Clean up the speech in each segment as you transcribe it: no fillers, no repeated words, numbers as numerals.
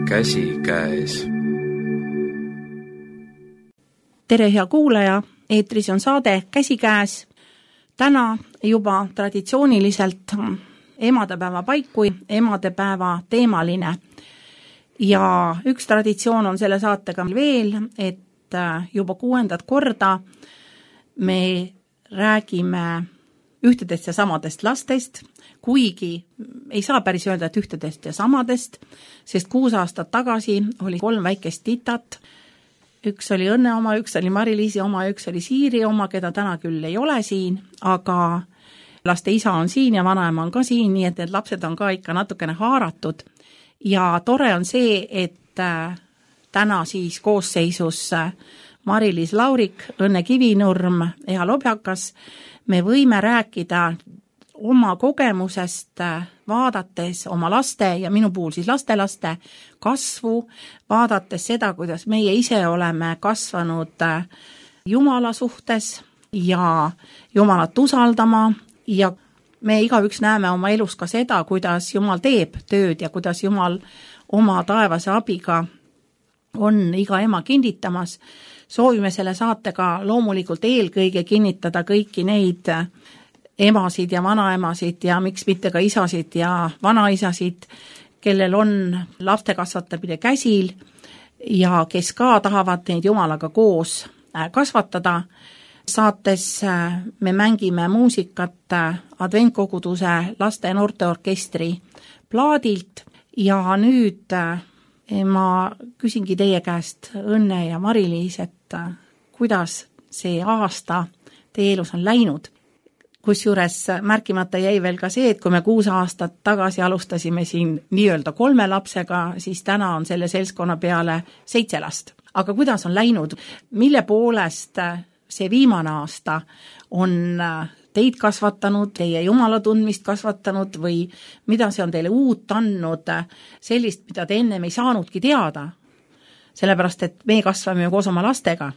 Käsikäes. Tere, hea kuulaja, eetris on saade Käsikäes. Täna juba traditsiooniliselt emadepäeva paiku, emadepäeva teemaline. Ja üks traditsioon on selle saatega veel, et juba 6. korda me räägime ühtedest ja samadest lastest, kuigi ei saa päris öelda, et ühtedest ja samadest, sest 6 aastat tagasi oli 3 väikest titat. Üks oli Õnne oma, üks oli Mari-Liisi oma, üks oli Siiri oma, keda täna küll ei ole siin, aga laste isa on siin ja vanaema on ka siin, nii et need lapsed on ka ikka natukene haaratud. Ja tore on see, et täna siis koosseisus Mari-Liis Laurik, Õnne Kivinurm ja Lobjakas me võime rääkida oma kogemusest, vaadates oma laste ja minu puhul siis lastelaste kasvu, vaadates seda, kuidas meie ise oleme kasvanud Jumala suhtes ja Jumalat usaldama ja me igaüks näeme oma elus ka seda, kuidas Jumal teeb tööd ja kuidas Jumal oma taevase abiga on iga ema kinnitamas. Soovime selle saatega loomulikult eelkõige kinnitada kõiki neid emasid ja vanaemasid ja miks mitte ka isasid ja vanaisasid, kellel on laste kasvatamine käsil ja kes ka tahavad neid Jumalaga koos kasvatada. Saates me mängime muusikat adventkoguduse laste- ja noorteorkestri plaadilt ja nüüd ma küsingi teie käest, Õnne ja Mari-Liis, et kuidas see aasta teie elus on läinud. Kusjuures märkimata jäi veel ka see, et kui me 6 aastat tagasi alustasime siin nii-öelda 3 lapsega, siis täna on selle seltskonna peale 7 last. Aga kuidas on läinud? Mille poolest see viimane aasta on teid kasvatanud, teie Jumala tundmist kasvatanud või mida see on teile uut andnud, sellist, mida te ennem ei saanudki teada? Sellepärast, et me kasvame ju koos oma lastega.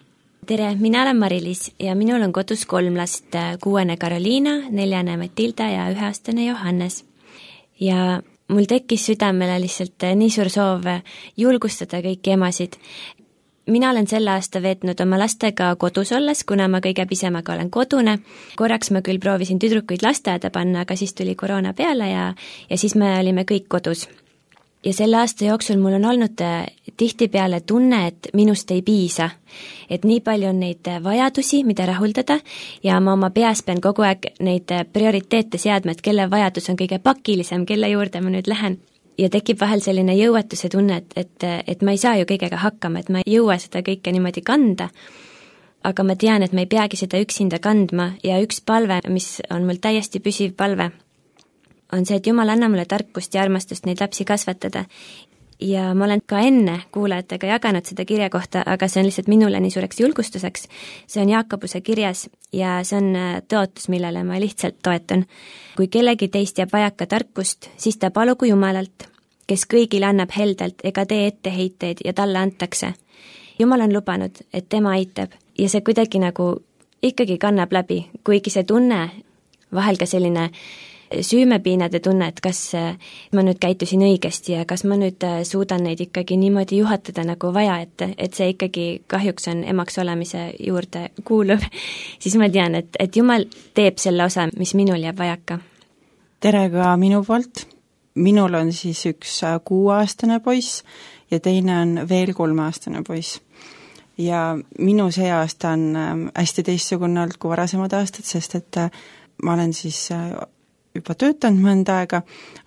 Tere, mina olen Mari-Liis ja minul on kodus 3 last, 6. Karoliina, 4. Matilda ja 1-aastane Johannes. Ja mul tekkis südamele lihtsalt nii suur soov julgustada kõiki emasid. Mina olen selle aasta veetnud oma lastega kodus olles, kuna ma kõige pisemaga olen kodune. Korraks ma küll proovisin tüdrukuid lasteaeda panna, aga siis tuli koroona peale ja siis me olime kõik kodus. Ja selle aasta jooksul mul on olnud tihtipeale tunne, et minust ei piisa. Et nii palju on neid vajadusi, mida rahuldada ja ma oma peas pean kogu aeg neid prioriteete seadma, et kelle vajadus on kõige pakilisem, kelle juurde ma nüüd lähen. Ja tekib vahel selline jõuetuse tunne, et ma ei saa ju kõigega hakkama, et ma ei jõua seda kõike niimoodi kanda. Aga ma tean, et ma ei peagi seda üksinda kandma ja üks palve, mis on mul täiesti püsiv palve, on see, et Jumal anna mulle tarkust ja armastust neid lapsi kasvatada. Ja ma olen ka enne kuulajatega jaganud seda kirja kohta, aga see on lihtsalt minule nii suureks julgustuseks. See on Jaakobuse kirjas ja see on tõotus, millele ma lihtsalt toetun. Kui kellegi teist jääb vajaka tarkust, siis ta palugu Jumalalt, kes kõigile annab heldelt ega tee etteheiteid ja talle antakse. Jumal on lubanud, et tema aitab ja see kuidagi nagu ikkagi kannab läbi, kuigi see tunne, vahel ka selline süümepiinade tunne, et kas ma nüüd käitusin õigesti ja kas ma nüüd suudan neid ikkagi niimoodi juhatada nagu vaja, et see ikkagi kahjuks on emaks olemise juurde kuuluv, siis ma tean, et Jumal teeb selle osa, mis minul jääb vajaka. Tere ka minu poolt. Minul on siis üks 6-aastane poiss ja teine on veel 3-aastane poiss. Ja minu see aasta on hästi teistsugune olnud kui varasemad aastad, sest et ma olen siis juba töötanud mõnda aega,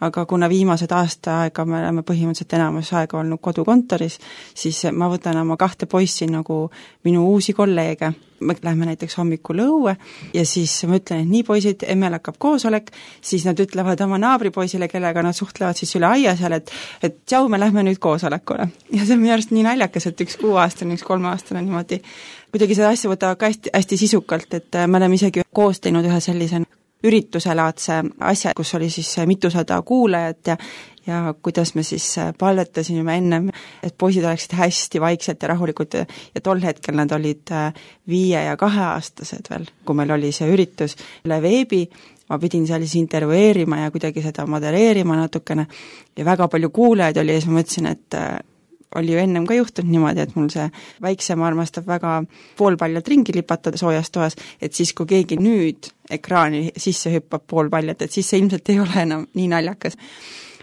aga kuna viimased aasta aega me oleme põhimõtteliselt enamus aega olnud kodukontoris, siis ma võtan oma 2 poissi nagu minu uusi kolleege. Me lähme näiteks hommikul õue ja siis ma ütlen, et nii poisid, emmel hakkab koosolek, siis nad ütlevad oma naabripoisile, kellega nad suhtlevad siis üle aia seal, et tšau, me lähme nüüd koosolekule. Ja see on minu arust nii naljakas, et üks 6-aastane, üks 3-aastane niimoodi kuidagi seda asja võtavad ka hästi sisukalt, et me oleme isegi koos teinud ühe sellise ürituselaadse asja, kus oli siis mitusada kuulajat ja kuidas me siis palvetasime ennem, et poisid oleksid hästi vaikselt ja rahulikud ja tol hetkel nad olid 5- ja 2-aastased veel, kui meil oli see üritus üle veebi, ma pidin seal siis intervjueerima ja kuidagi seda modelleerima natukene ja väga palju kuulajaid oli ja siis ma mõtlesin, oli ju ennem ka juhtunud niimoodi, et mul see väiksem armastab väga poolpaljalt ringi lipatada soojas toas, et siis kui keegi nüüd ekraani sisse hüppab poolpaljalt, et siis see ilmselt ei ole enam nii naljakas.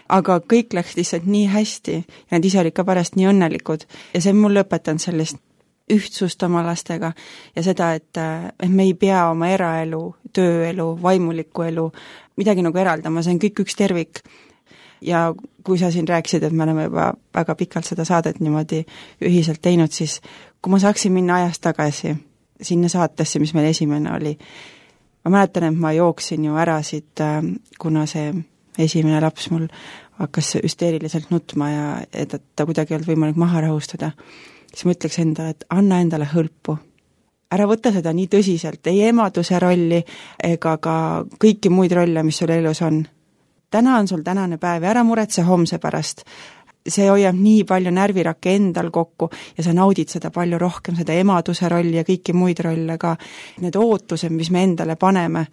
Aga kõik läks lihtsalt nii hästi ja nad ise olid ka pärast nii õnnelikud ja see on mulle õpetanud sellist ühtsust oma lastega ja seda, et me ei pea oma eraelu, tööelu, vaimulikku elu midagi nagu eraldama, see on kõik üks tervik. Ja kui sa siin rääkisid, et me oleme juba väga pikalt seda saadet niimoodi ühiselt teinud, siis kui ma saaksin minna ajas tagasi sinna saatesse, mis meil esimene oli, ma mäletan, et ma jooksin ju ära siit, kuna see esimene laps mul hakkas hüsteeriliselt nutma ja et ta kuidagi ei olnud võimalik maha rahustada, siis ma ütleks endale, et anna endale hõlpu. Ära võta seda nii tõsiselt, ei emaduse rolli ega ka kõiki muid rolle, mis sul elus on. Täna on sul tänane päev ja ära muretse homse pärast. See hoiab nii palju närvirakke endal kokku ja sa naudid seda palju rohkem, seda emaduse rolli ja kõiki muid rolle ka. Need ootused, mis me endale paneme.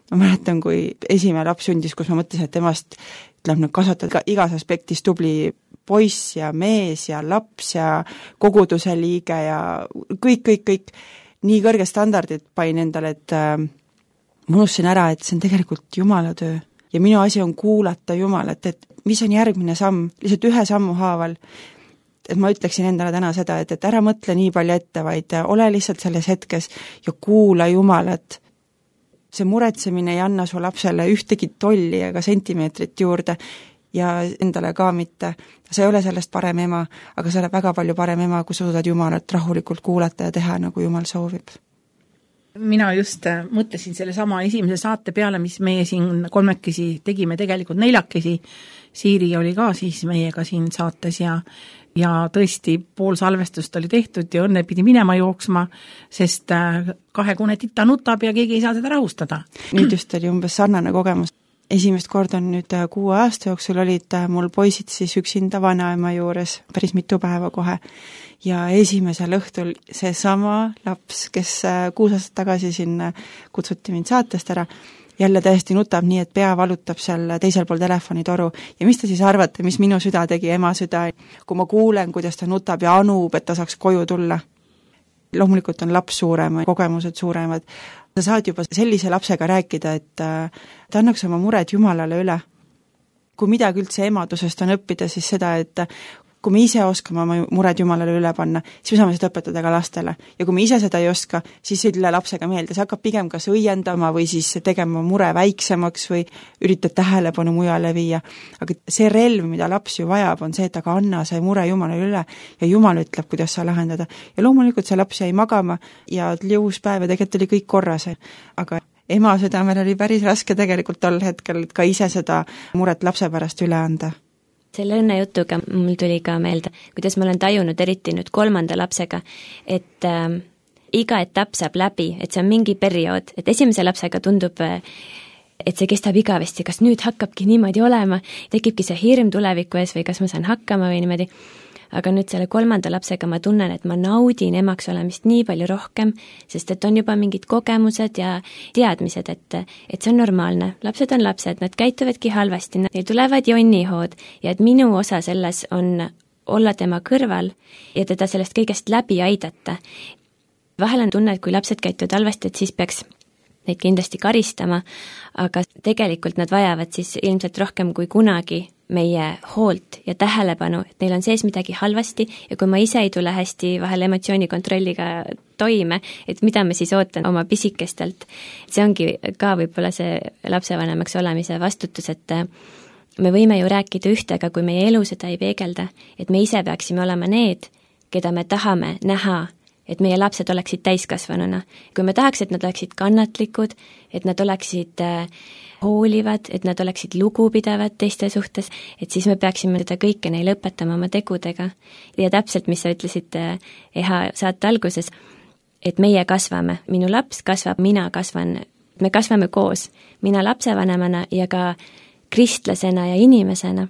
Ma mäletan, kui esimene laps sündis, kus ma mõtlesin, et temast ütleb kasvatada igas aspektis tubli poiss ja mees ja laps ja koguduse liige ja kõik. Nii kõrge standardid pain endale, et ma unustasin ära, et see on tegelikult Jumala töö. Ja minu asi on kuulata Jumalat, et mis on järgmine samm, lihtsalt ühe sammu haaval. Et ma ütleksin endale täna seda, et ära mõtle nii palju ette, vaid ole lihtsalt selles hetkes ja kuula Jumalat. See muretsemine ei anna su lapsele ühtegi tolli ega sentimeetrit juurde ja endale ka mitte. Sa ei ole sellest parem ema, aga sa oled väga palju parem ema, kui sa suudad Jumalat rahulikult kuulata ja teha, nagu Jumal soovib. Mina just mõtlesin selle sama esimese saate peale, mis meie siin kolmekesi tegime, tegelikult neljakesi. Siiri oli ka siis meiega siin saates ja tõesti pool salvestust oli tehtud ja õnne pidi minema jooksma, sest kahekune tita nutab ja keegi ei saa seda rahustada. Nüüd just oli umbes sarnane kogemus. Esimest korda on nüüd 6 aasta jooksul olid mul poisid siis üksinda vanaema juures päris mitu päeva kohe. Ja esimesel õhtul see sama laps, kes 6 aastat tagasi siin kutsuti mind saatest ära, jälle täiesti nutab nii, et pea valutab seal teisel pool telefonitoru. Ja mis te siis arvate, mis minu süda tegi, ema süda, kui ma kuulen, kuidas ta nutab ja anub, et ta saaks koju tulla. Loomulikult on laps suurem, kogemused suuremad. Sa saad juba sellise lapsega rääkida, et ta annaks oma mured Jumalale üle. Kui midagi üldse emadusest on õppida, siis seda, et kui me ise oskame oma mured Jumalale üle panna, siis me saame seda õpetada ka lastele. Ja kui me ise seda ei oska, siis ei tule lapsega meelde. See hakkab pigem kas õiendama või siis tegema mure väiksemaks või üritad tähelepanu mujale viia. Aga see relv, mida laps ju vajab, on see, et aga anna see mure Jumalale üle ja Jumal ütleb, kuidas sa lahendada. Ja loomulikult see laps jäi magama ja jõus päev ja tegelikult oli kõik korras. Aga ema südamel oli päris raske tegelikult tol hetkel ka ise seda muret lapse pärast üle anda. Selle õnnejutuga mul tuli ka meelde, kuidas ma olen tajunud eriti nüüd 3. lapsega, et iga etapp saab läbi, et see on mingi periood, et esimese lapsega tundub, et see kestab igavesti, kas nüüd hakkabki niimoodi olema, tekibki see hirm tuleviku ees või kas ma saan hakkama või niimoodi. Aga nüüd selle 3. lapsega ma tunnen, et ma naudin emaks olemist nii palju rohkem, sest et on juba mingid kogemused ja teadmised, et see on normaalne. Lapsed on lapsed, nad käituvadki halvasti, neil tulevad jonnihood ja et minu osa selles on olla tema kõrval ja teda sellest kõigest läbi aidata. Vahel on tunne, et kui lapsed käituvad halvasti, et siis peaks neid kindlasti karistama, aga tegelikult nad vajavad siis ilmselt rohkem kui kunagi meie hoolt ja tähelepanu, et neil on sees midagi halvasti ja kui ma ise ei tule hästi vahel emotsioonikontrolliga toime, et mida ma siis ootan oma pisikestelt. See ongi ka võib-olla see lapsevanemaks olemise vastutus, et me võime ju rääkida ühte, aga kui meie elu seda ei peegelda, et me ise peaksime olema need, keda me tahame näha, et meie lapsed oleksid täiskasvanuna. Kui me tahaks, et nad oleksid kannatlikud, et nad oleksid hoolivad, et nad oleksid lugupidavad teiste suhtes, et siis me peaksime seda kõike neile õpetama oma tegudega. Ja täpselt, mis sa ütlesid EHA saate alguses, et meie kasvame, minu laps kasvab, mina kasvan, me kasvame koos, mina lapsevanemana ja ka kristlasena ja inimesena.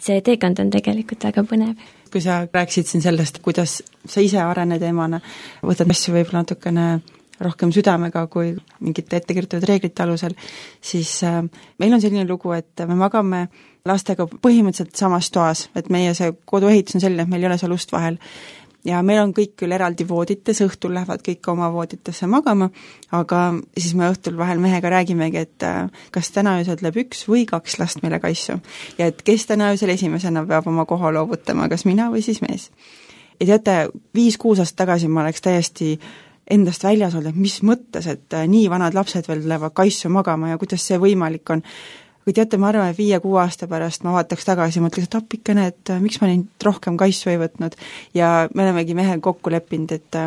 See teekond on tegelikult väga põnev. Kui sa rääksid siin sellest, kuidas sa ise arened emana, võtad asju võib-olla natukene rohkem südamega kui mingite ettekirjutatud reeglite alusel, siis meil on selline lugu, et me magame lastega põhimõtteliselt samas toas, et meie see koduehitus on selline, et meil ei ole seal ust vahel. Ja meil on kõik küll eraldi voodites, õhtul lähevad kõik oma vooditesse magama, aga siis me õhtul vahel mehega räägimegi, et kas täna öösel tuleb 1 või 2 last meile kaisu. Ja et kes täna öösel esimesena peab oma koha loovutama, kas mina või siis mees. Ja teate, 5-6 aastat tagasi ma oleks täiesti endast väljas olnud, et mis mõttes, et nii vanad lapsed veel tulevad kaisu magama ja kuidas see võimalik on. Kui teate, ma arvan, et 5-6 aasta pärast ma vaataks tagasi ja mõtleks, et appikene, et miks ma neid rohkem kaisu ei võtnud. Ja me olemegi mehel kokku leppinud, et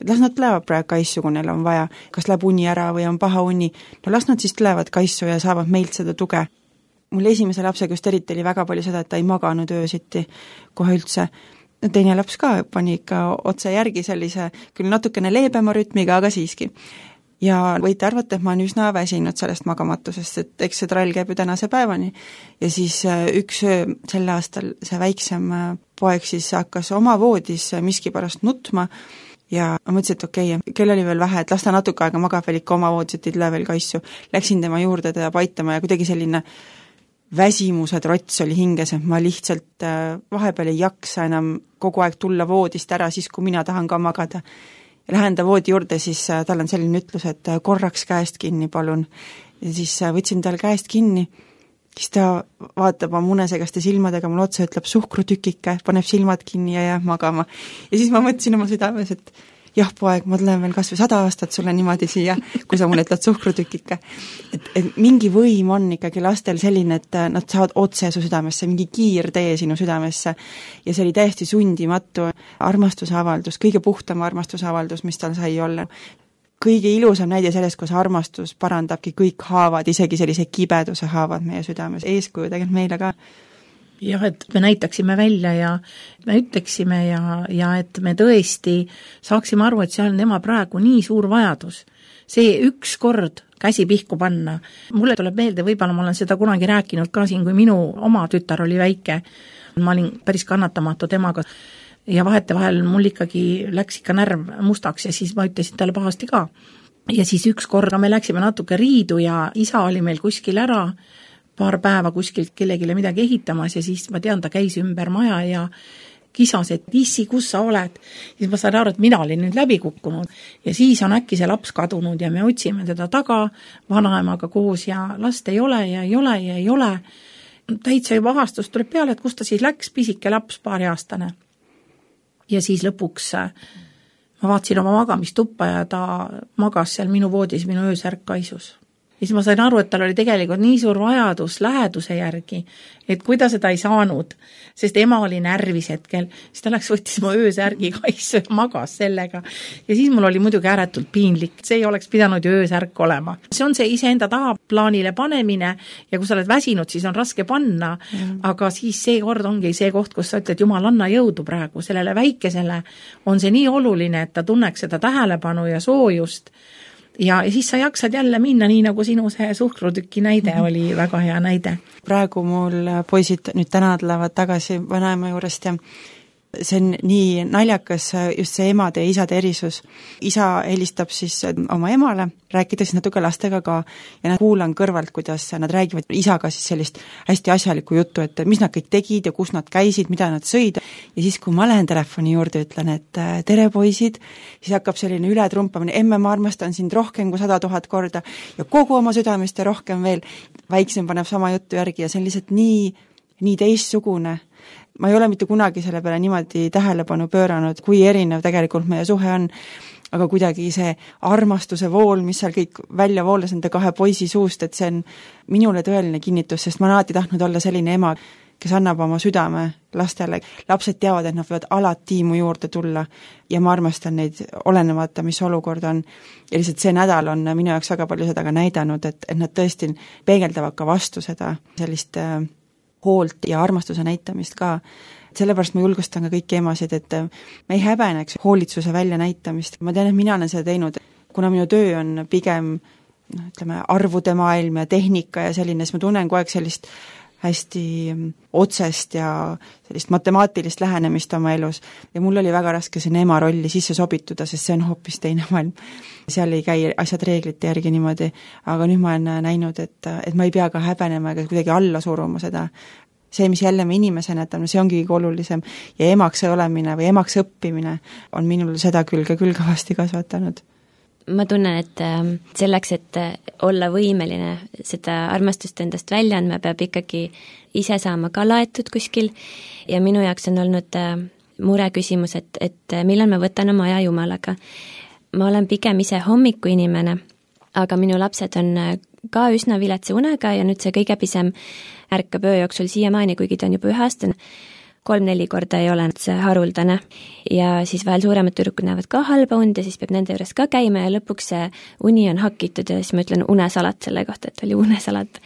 las nad tulevad praegu kaisu, kui neil on vaja. Kas läheb uni ära või on paha uni. No las nad siis tulevad kaisu ja saavad meilt seda tuge. Mul esimese lapsega just eriti oli väga palju seda, et ta ei maganud öösiti kohe üldse. Teine laps ka pani ikka otse järgi sellise küll natukene leebema rütmiga, aga siiski. Ja võite arvata, et ma olen üsna väsinud sellest magamatusest, et eks see trall käib ju tänase päevani. Ja siis üks öö sel aastal see väiksem poeg siis hakkas oma voodis miski pärast nutma ja ma mõtlesin, et okei, kell oli veel vähe, et las ta natuke aega magab veel ikka oma voodis, et ei tule veel kaisu. Läksin tema juurde teda paitama ja kuidagi selline väsimuse trots oli hinges, et ma lihtsalt vahepeal ei jaksa enam kogu aeg tulla voodist ära siis, kui mina tahan ka magada. Lähen ta voodi juurde, siis tal on selline ütlus, et korraks käest kinni, palun. Ja siis võtsin tal käest kinni, siis ta vaatab oma munesegaste silmadega mul otsa, ütleb suhkrutükike, paneb silmad kinni ja jääb magama. Ja siis ma mõtlesin oma südames, et jah, poeg, ma tulen veel kas või 100 aastat sulle niimoodi siia, kui sa mulle ütled suhkrutükike. Et mingi võim on ikkagi lastel selline, et nad saavad otse su südamesse, mingi kiirtee sinu südamesse. Ja see oli täiesti sundimatu armastusavaldus, kõige puhtam armastusavaldus, mis tal sai olla. Kõige ilusam näide sellest, kus armastus parandabki kõik haavad, isegi sellise kibeduse haavad meie südames. Eeskuju tegelikult meile ka. Jah, et me näitaksime välja ja me ütleksime ja et me tõesti saaksime aru, et see on tema praegu nii suur vajadus. See üks kord käsi pihku panna. Mulle tuleb meelde, võib-olla ma olen seda kunagi rääkinud ka siin, kui minu oma tütar oli väike. Ma olin päris kannatamatu temaga ja vahetevahel mul ikkagi läks ikka närv mustaks ja siis ma ütlesin talle pahasti ka. Ja siis üks korda me läksime natuke riidu ja isa oli meil kuskil ära, paar päeva kuskilt kellegile midagi ehitamas ja siis ma tean, ta käis ümber maja ja kisas, et issi, kus sa oled? Siis ma sain aru, et mina olin nüüd läbi kukkunud ja siis on äkki see laps kadunud ja me otsime teda taga vanaemaga koos ja last ei ole ja ei ole ja ei ole. Täitsa juba ahastus tuleb peale, et kus ta siis läks, pisike laps, 2-aastane. Ja siis lõpuks ma vaatasin oma magamistuppa ja ta magas seal minu voodis, minu öösärk kaisus. Ja siis ma sain aru, et tal oli tegelikult nii suur vajadus läheduse järgi, et kui ta seda ei saanud, sest ema oli närvis hetkel, siis ta läks võttis mu öösärgi kaisu ja magas sellega. Ja siis mul oli muidugi ääretult piinlik, see ei oleks pidanud ju öösärk olema. See on see iseenda taha plaanile panemine ja kui sa oled väsinud, siis on raske panna, aga siis see kord ongi see koht, kus sa ütled, jumal, anna jõudu praegu, sellele väikesele on see nii oluline, et ta tunneks seda tähelepanu ja soojust. Ja siis sa jaksad jälle minna nii, nagu sinu see suhkrutüki näide oli väga hea näide. Praegu mul poisid nüüd täna tulevad tagasi vanaema juurest ja see on nii naljakas just see emade ja isade erisus. Isa helistab siis oma emale, rääkides natuke lastega ka ja kuulan kõrvalt, kuidas nad räägivad isaga siis sellist hästi asjalikku juttu, et mis nad kõik tegid ja kus nad käisid, mida nad sõid. Ja siis, kui ma lähen telefoni juurde, ütlen, et tere poisid, siis hakkab selline ületrumpamine, emme, ma armastan sind rohkem kui 100 000 korda ja kogu oma südamest ja rohkem veel. Väiksem paneb sama juttu järgi ja see on lihtsalt nii teistsugune. Ma ei ole mitte kunagi selle peale niimoodi tähelepanu pööranud, kui erinev tegelikult meie suhe on, aga kuidagi see armastuse vool, mis seal kõik välja voolas nende 2 poisi suust, et see on minule tõeline kinnitus, sest ma olen alati tahtnud olla selline ema, kes annab oma südame lastele. Lapsed teavad, et nad võivad alati mu juurde tulla ja ma armastan neid olenemata, mis olukord on. Ja lihtsalt see nädal on minu jaoks väga palju seda ka näidanud, et nad tõesti peegeldavad ka vastu seda sellist hoolt ja armastuse näitamist ka. Sellepärast ma julgustan ka kõiki emasid, et me ei häbeneks hoolitsuse välja näitamist. Ma tean, et mina olen seda teinud, kuna minu töö on pigem ütleme, arvude maailm ja tehnika ja selline, siis ma tunnen kogu aeg sellist hästi otsest ja sellist matemaatilist lähenemist oma elus ja mul oli väga raske sinna ema rolli sisse sobituda, sest see on hoopis teine maailm. Seal ei käi asjad reeglite järgi niimoodi, aga nüüd ma olen näinud, et ma ei pea ka häbenema ega kuidagi alla suruma seda. See, mis jälle me inimesena jätame, see ongi kõige olulisem ja emaks olemine või emaks õppimine on minul seda küll kõvasti kasvatanud. Ma tunnen, et selleks, et olla võimeline seda armastust endast välja andma, peab ikkagi ise saama ka laetud kuskil ja minu jaoks on olnud mure küsimus, et millal ma võtan oma aja Jumalaga. Ma olen pigem ise hommikuinimene, aga minu lapsed on ka üsna viletsa unega ja nüüd see kõige pisem ärkab öö jooksul siiamaani, kuigi ta on juba 1-aastane. 3-4 korda ei ole see haruldane ja siis vahel suuremad tüdrukud näevad ka halba und ja siis peab nende juures ka käima ja lõpuks see uni on hakitud ja siis ma ütlen unesalat selle kohta, et oli unesalat.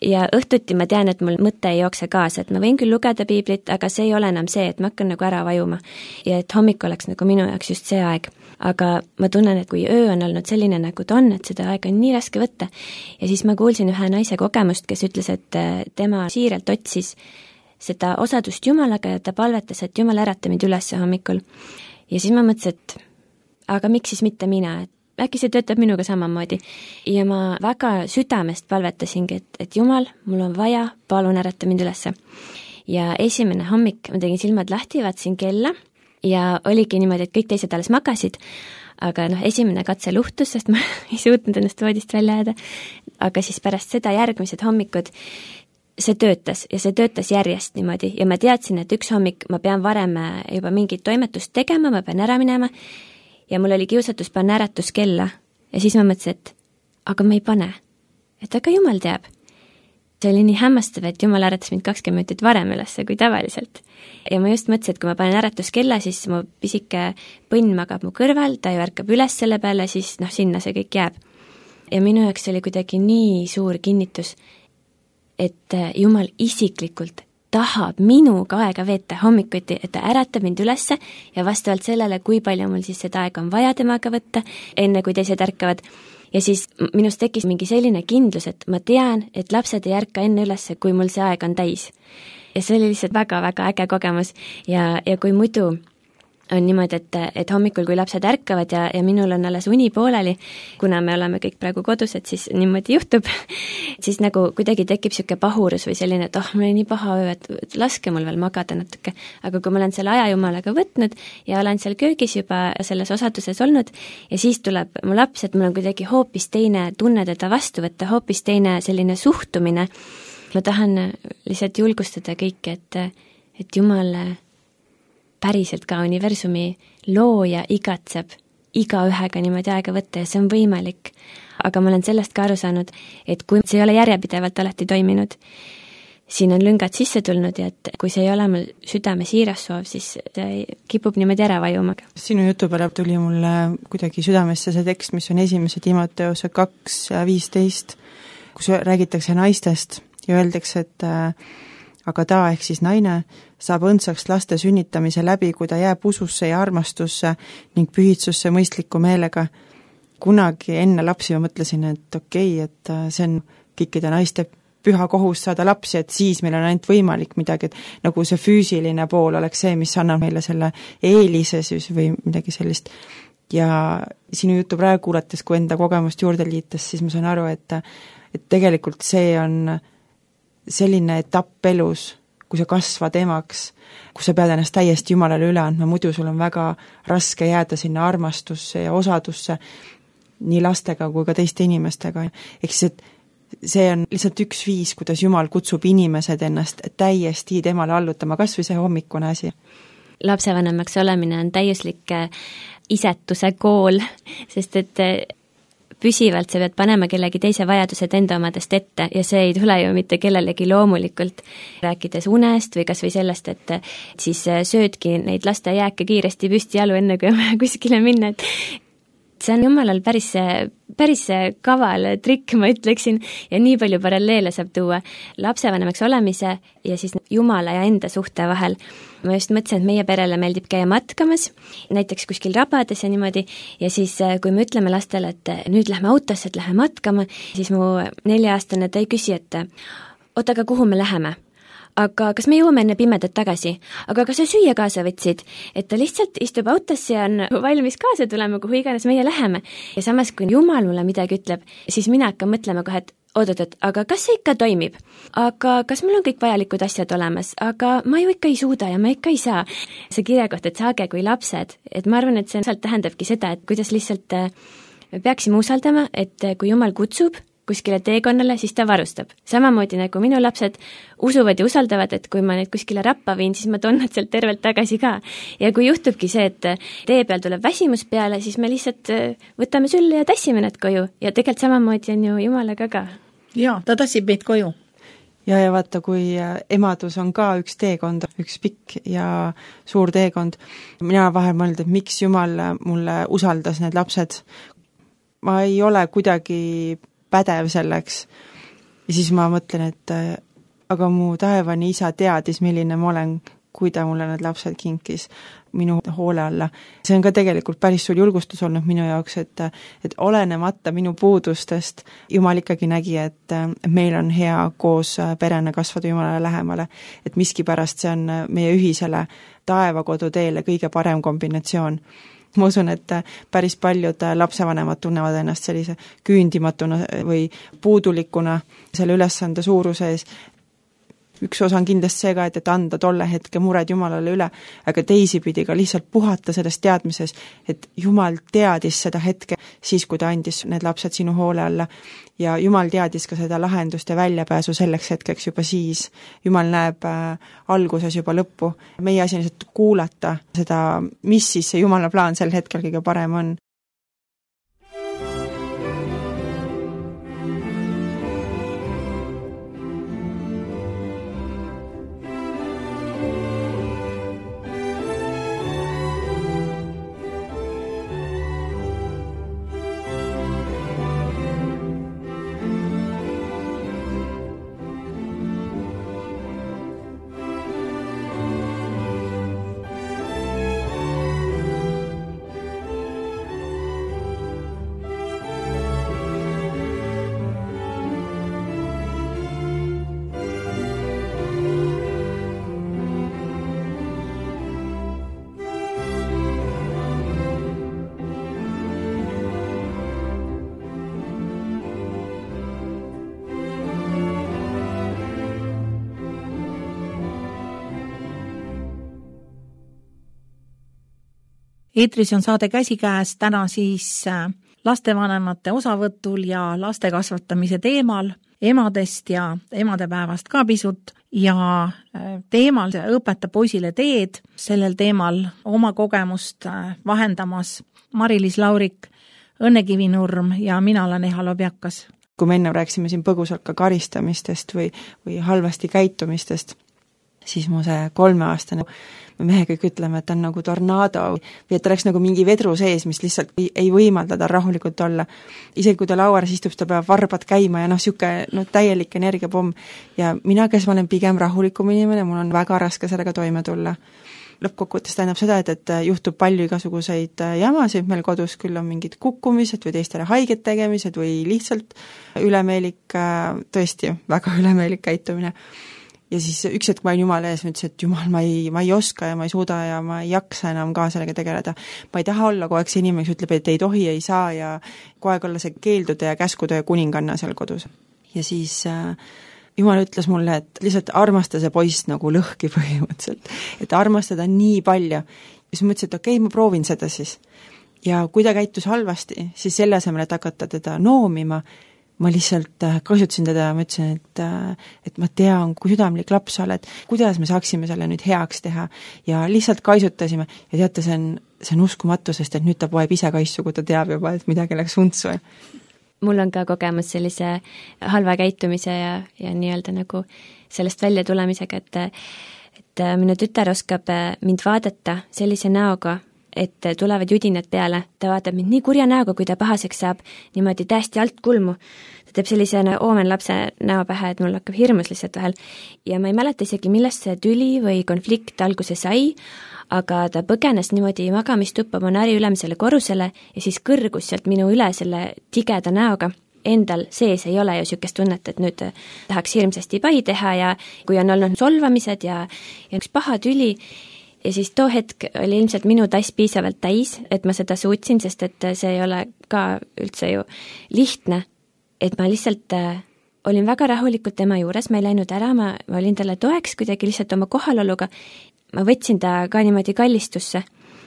Ja õhtuti ma tean, et mul mõte ei jookse kaasa, et ma võin küll lugeda piiblit, aga see ei ole enam see, et ma hakkan nagu ära vajuma ja et hommik oleks nagu minu jaoks just see aeg. Aga ma tunnen, et kui öö on olnud selline, nagu ta on, et seda aega on nii raske võtta ja siis ma kuulsin ühe naise kogemust, kes ütles, et tema siiralt otsis seda osadust Jumalaga ja ta palvetas, et Jumal ärata mind üles hommikul. Ja siis ma mõtlesin, et aga miks siis mitte mina, et äkki see töötab minuga samamoodi. Ja ma väga südamest palvetasingi, et Jumal, mul on vaja, palun ärata mind ülesse. Ja esimene hommik ma tegin silmad lahti, vaatasin kella ja oligi niimoodi, et kõik teised alles magasid, aga esimene katse luhtus, sest ma ei suutnud ennast voodist välja jääda, aga siis pärast seda järgmised hommikud see töötas ja see töötas järjest niimoodi ja ma teadsin, et üks hommik ma pean varem juba mingit toimetust tegema, ma pean ära minema ja mul oli kiusatus panna äratuskella ja siis ma mõtlesin, et aga ma ei pane, et aga Jumal teab. See oli nii hämmastav, et Jumal äratas mind 20 minutit varem ülesse kui tavaliselt. Ja ma just mõtlesin, et kui ma panen äratuskella, siis mu pisike põnn magab mu kõrval, ta ju ärkab üles selle peale, siis sinna see kõik jääb. Ja minu jaoks oli kuidagi nii suur kinnitus, et Jumal isiklikult tahab minuga aega veeta hommikuti, et ta äratab mind ülesse ja vastavalt sellele, kui palju mul siis seda aega on vaja temaga võtta, enne kui teised ärkavad. Ja siis minust tekkis mingi selline kindlus, et ma tean, et lapsed ei ärka enne ülesse, kui mul see aeg on täis. Ja see oli lihtsalt väga-väga äge kogemus ja kui muidu on niimoodi, et hommikul, kui lapsed ärkavad ja minul on alles uni pooleli, kuna me oleme kõik praegu kodus, et siis niimoodi juhtub, siis nagu kuidagi tekib siuke pahurus või selline, et mul oli nii paha öö, et laske mul veel magada natuke. Aga kui ma olen selle aja Jumalaga võtnud ja olen seal köögis juba selles osaduses olnud ja siis tuleb mu laps, et mul on kuidagi hoopis teine tunne teda vastu võtta, hoopis teine selline suhtumine. Ma tahan lihtsalt julgustada kõike, et Jumal päriselt ka universumi looja igatseb iga ühega niimoodi aega võtta ja see on võimalik. Aga ma olen sellest ka aru saanud, et kui see ei ole järjepidevalt alati toiminud, siin on lüngad sisse tulnud ja et kui see ei ole mul südame siiras soov, siis see kipub niimoodi ära vajuma. Sinu jutu peale tuli mulle kuidagi südamesse see tekst, mis on 1. Timoteuse 2:15, kus räägitakse naistest ja öeldakse, et aga ta ehk siis naine saab õndsaks laste sünnitamise läbi, kui ta jääb ususse ja armastusse ning pühitsusse mõistliku meelega. Kunagi enne lapsi ma mõtlesin, et okei, et see on kõikide naiste püha kohus saada lapsi, et siis meil on ainult võimalik midagi, et nagu see füüsiline pool oleks see, mis annab meile selle eelise siis või midagi sellist. Ja sinu jutu praegu kuulates, kui enda kogemust juurde liites, siis ma saan aru, et tegelikult see on selline etapp elus, kui sa kasvad emaks, kus sa pead ennast täiesti Jumalale üle andma, muidu sul on väga raske jääda sinna armastusse ja osadusse nii lastega kui ka teiste inimestega. Ehk siis, et see on lihtsalt üks viis, kuidas Jumal kutsub inimesed ennast täiesti temale allutama, kas või see hommikune asi. Lapsevanemaks olemine on täiuslik isetuse kool, sest et püsivalt sa pead panema kellegi teise vajadused enda omadest ette ja see ei tule ju mitte kellelegi loomulikult. Rääkides unest või kas või sellest, et siis söödki neid laste jääke kiiresti püsti jalu enne, kui on kuskile minna, et see on Jumalal päris kaval trikk, ma ütleksin, ja nii palju paralleele saab tuua lapsevanemaks olemise ja siis Jumala ja enda suhte vahel. Ma just mõtlesin, et meie perele meeldib käia matkamas, näiteks kuskil rabades ja niimoodi, ja siis kui me ütleme lastele, et nüüd lähme autosse, et lähme matkama, siis mu 4-aastane ta ei küsi, et oota, aga kuhu me läheme? Aga kas me jõuame enne pimedat tagasi? Aga kas sa süüa kaasa võtsid? Et ta lihtsalt istub autosse ja on valmis kaasa tulema, kuhu iganes meie läheme. Ja samas, kui Jumal mulle midagi ütleb, siis mina hakkan mõtlema kohe, et oot, aga kas see ikka toimib? Aga kas mul on kõik vajalikud asjad olemas? Aga ma ju ikka ei suuda ja ma ikka ei saa. See kirja koht, et saage kui lapsed, et ma arvan, et see tähendabki seda, et kuidas lihtsalt me peaksime usaldama, et kui Jumal kutsub kuskile teekonnale, siis ta varustab. Samamoodi nagu minu lapsed usuvad ja usaldavad, et kui ma neid kuskile rappa viin, siis ma toon nad sealt tervelt tagasi ka. Ja kui juhtubki see, et tee peal tuleb väsimus peale, siis me lihtsalt võtame sülle ja tassime nad koju. Ja tegelikult samamoodi on ju Jumalaga ka. Jaa, ta tassib meid koju. Ja vaata, kui emadus on ka üks teekond, üks pikk ja suur teekond. Mina vahel mõelnud, et miks Jumal mulle usaldas need lapsed. Ma ei ole kuidagi pädev selleks. Ja siis ma mõtlen, et aga mu taevani isa teadis, milline ma olen, kui ta mulle need lapsed kinkis minu hoole alla. See on ka tegelikult päris suur julgustus olnud minu jaoks, et olenemata minu puudustest Jumal ikkagi nägi, et meil on hea koos perena kasvada Jumalale lähemale, et miskipärast see on meie ühisele taevakodu teele kõige parem kombinatsioon. Ma usun, et päris paljud lapsevanemad tunnevad ennast sellise küündimatuna või puudulikuna selle ülesande suuruse ees. Üks osa on kindlasti see ka, et anda tolle hetke mured Jumalale üle, aga teisipidi ka lihtsalt puhata sellest teadmises, et Jumal teadis seda hetke siis, kui ta andis need lapsed sinu hoole alla ja Jumal teadis ka seda lahendust ja väljapääsu selleks hetkeks juba siis. Jumal näeb alguses juba lõppu. Meie asi on lihtsalt kuulata seda, mis siis see Jumala plaan sel hetkel kõige parem on. Eetris on saade Käsikäes täna siis lastevanemate osavõtul ja laste kasvatamise teemal, emadest ja emadepäevast ka pisut ja teemal õpeta poisile teed, sellel teemal oma kogemust vahendamas Mari-Liis Laurik, Õnne Kivinurm ja mina olen Eha Lobjakas. Kui me enne rääksime siin põgusalt ka karistamistest või halvasti käitumistest, siis mu see 3-aastane mehe kõik ütleme, et ta on nagu tornaado või et ta oleks nagu mingi vedru sees, mis lihtsalt ei võimalda tal rahulikult olla. Isegi kui ta lauaras istub, ta peab varbad käima ja täielik energiapomm. Ja mina, kes ma olen pigem rahulikum inimene, mul on väga raske sellega toime tulla. Lõppkokkuvõttes tähendab seda, et juhtub palju igasuguseid jamasid meil kodus, küll on mingid kukkumised või teistele haiget tegemised või lihtsalt ülemeelik, tõesti väga ülemeelik käitumine. Ja siis üks hetk ma olin Jumala ees, ma ütlesin, et Jumal, ma ei oska ja ma ei suuda ja ma ei jaksa enam ka sellega tegeleda. Ma ei taha olla kogu aeg see inimene, kes ütleb, et ei tohi, ei saa ja kogu aeg olla see keeldude ja käskude ja kuninganna seal kodus. Ja siis Jumal ütles mulle, et lihtsalt armasta see poiss nagu lõhki põhimõtteliselt, et armastada nii palju. Ja siis ma ütlesin, et okei, ma proovin seda siis. Ja kui ta käitus halvasti, siis selle asemel, et hakata teda noomima, ma lihtsalt kasutasin teda ja ma ütlesin, et ma tean, kui südamlik laps sa oled, kuidas me saaksime selle nüüd heaks teha ja lihtsalt kaisutasime ja teate, see on uskumatu, sest et nüüd ta poeb ise kaisu, kui ta teab juba, et midagi läks untsu. Mul on ka kogemus sellise halva käitumise ja nii-öelda nagu sellest välja tulemisega, et minu tütar oskab mind vaadata sellise näoga, et tulevad judinad peale, ta vaatab mind nii kurja näoga, kui ta pahaseks saab, niimoodi täiesti alt kulmu. Ta teeb sellise oomen lapse näo pähe, et mul hakkab hirmus lihtsalt vahel. Ja ma ei mäleta isegi, millest see tüli või konflikt alguse sai, aga ta põgenes niimoodi magamistuppa Monari ülemisele korrusele ja siis kõrgus sealt minu üle selle tigeda näoga. endal sees ei ole ju niisugust tunnet, et nüüd tahaks hirmsasti pai teha ja kui on olnud solvamised ja üks paha tüli, ja siis too hetk oli ilmselt minu tass piisavalt täis, et ma seda suutsin, sest et see ei ole ka üldse ju lihtne, et ma lihtsalt olin väga rahulikult tema juures, ma ei läinud ära, ma olin talle toeks kuidagi lihtsalt oma kohaloluga, ma võtsin ta ka niimoodi kallistusse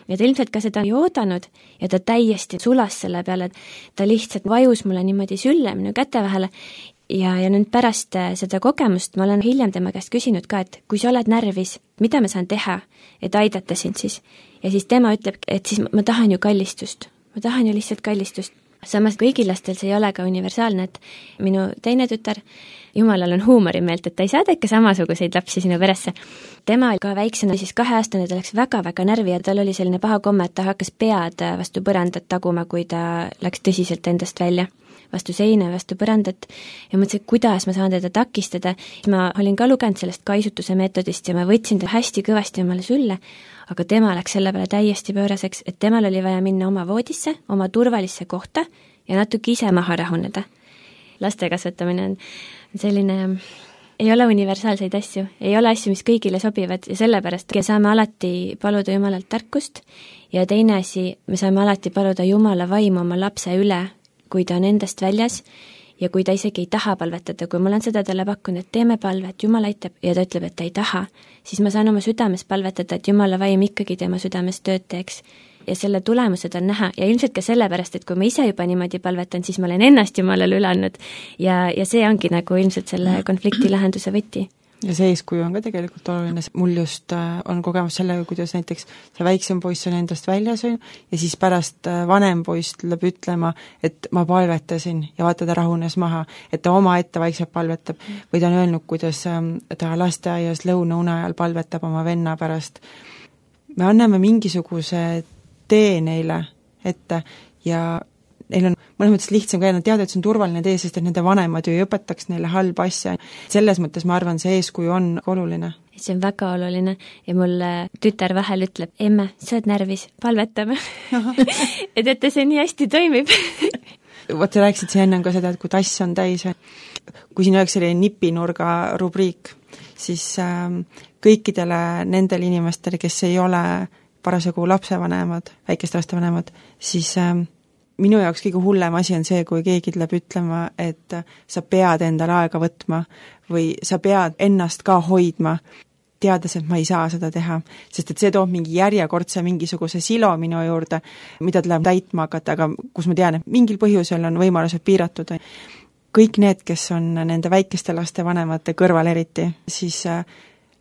ja ta ilmselt ka seda ei oodanud ja ta täiesti sulas selle peale, et ta lihtsalt vajus mulle niimoodi sülle minu käte vahele ja nüüd pärast seda kogemust ma olen hiljem tema käest küsinud ka, et kui sa oled närvis, mida ma saan teha, et aidata sind siis. Ja siis tema ütleb, et siis ma tahan ju kallistust, ma tahan ju lihtsalt kallistust. Samas kõigil lastel see ei ole ka universaalne, et minu teine tütar, jumalal on huumorimeelt, et ta ei saada ikka samasuguseid lapsi sinu peresse. Tema ka väiksena, siis 2-aastane, ta läks väga-väga närvi ja tal oli selline paha komme, et ta hakkas pead vastu põrandat taguma, kui ta läks tõsiselt endast välja, vastu seina, vastu põrandat ja mõtlesin, et kuidas ma saan teda takistada. Ma olin ka lugenud sellest kaisutuse meetodist ja ma võtsin ta hästi kõvasti omale sülle, aga tema läks selle peale täiesti pööraseks, et temal oli vaja minna oma voodisse, oma turvalisse kohta ja natuke ise maha rahuneda. Laste kasvatamine on selline, ei ole universaalseid asju, ei ole asju, mis kõigile sobivad ja sellepärast saame alati paluda Jumalalt tarkust ja teine asi, me saame alati paluda Jumala vaimu oma lapse üle, kui ta on endast väljas ja kui ta isegi ei taha palvetada, kui ma olen seda talle pakkunud, et teeme palvet, Jumal aitab ja ta ütleb, et ta ei taha, siis ma saan oma südames palvetada, et Jumala vaim ikkagi tema südames tööd teeks. Ja selle tulemused on näha ja ilmselt ka sellepärast, et kui ma ise juba niimoodi palvetan, siis ma olen ennast Jumalale üle andnud ja see ongi nagu ilmselt selle konflikti lahenduse võti. Ja see eeskuju on ka tegelikult oluline, mul just on kogemus sellega, kuidas näiteks see väiksem poiss on endast väljas ja siis pärast vanem poiss tuleb ütlema, et ma palvetasin ja vaata ta rahunes maha, et ta oma ette vaikselt palvetab või ta on öelnud, kuidas ta lasteaias lõunaune ajal palvetab oma venna pärast. Me anname mingisuguse tee neile ette ja neil on mõnes mõttes lihtsam ka, nad teavad, et see on turvaline tee, sest et nende vanemad ju ei õpetaks neile halba asja. Selles mõttes ma arvan, see eeskuju on oluline. See on väga oluline ja mul tütar vahel ütleb, emme, sa oled närvis, palvetame. et see nii hästi toimib. Vot sa rääkisid siin enne ka seda, et kui tass on täis, kui siin oleks selline nipinurga rubriik, siis kõikidele nendele inimestele, kes ei ole parasjagu lapsevanemad, väikeste lastevanemad, siis minu jaoks kõige hullem asi on see, kui keegi tuleb ütlema, et sa pead endale aega võtma või sa pead ennast ka hoidma, teades, et ma ei saa seda teha, sest et see toob mingi järjekordse mingisuguse silo minu juurde, mida tuleb täitma hakata, aga kus ma tean, et mingil põhjusel on võimalused piiratud. Kõik need, kes on nende väikeste laste vanemate kõrval eriti, siis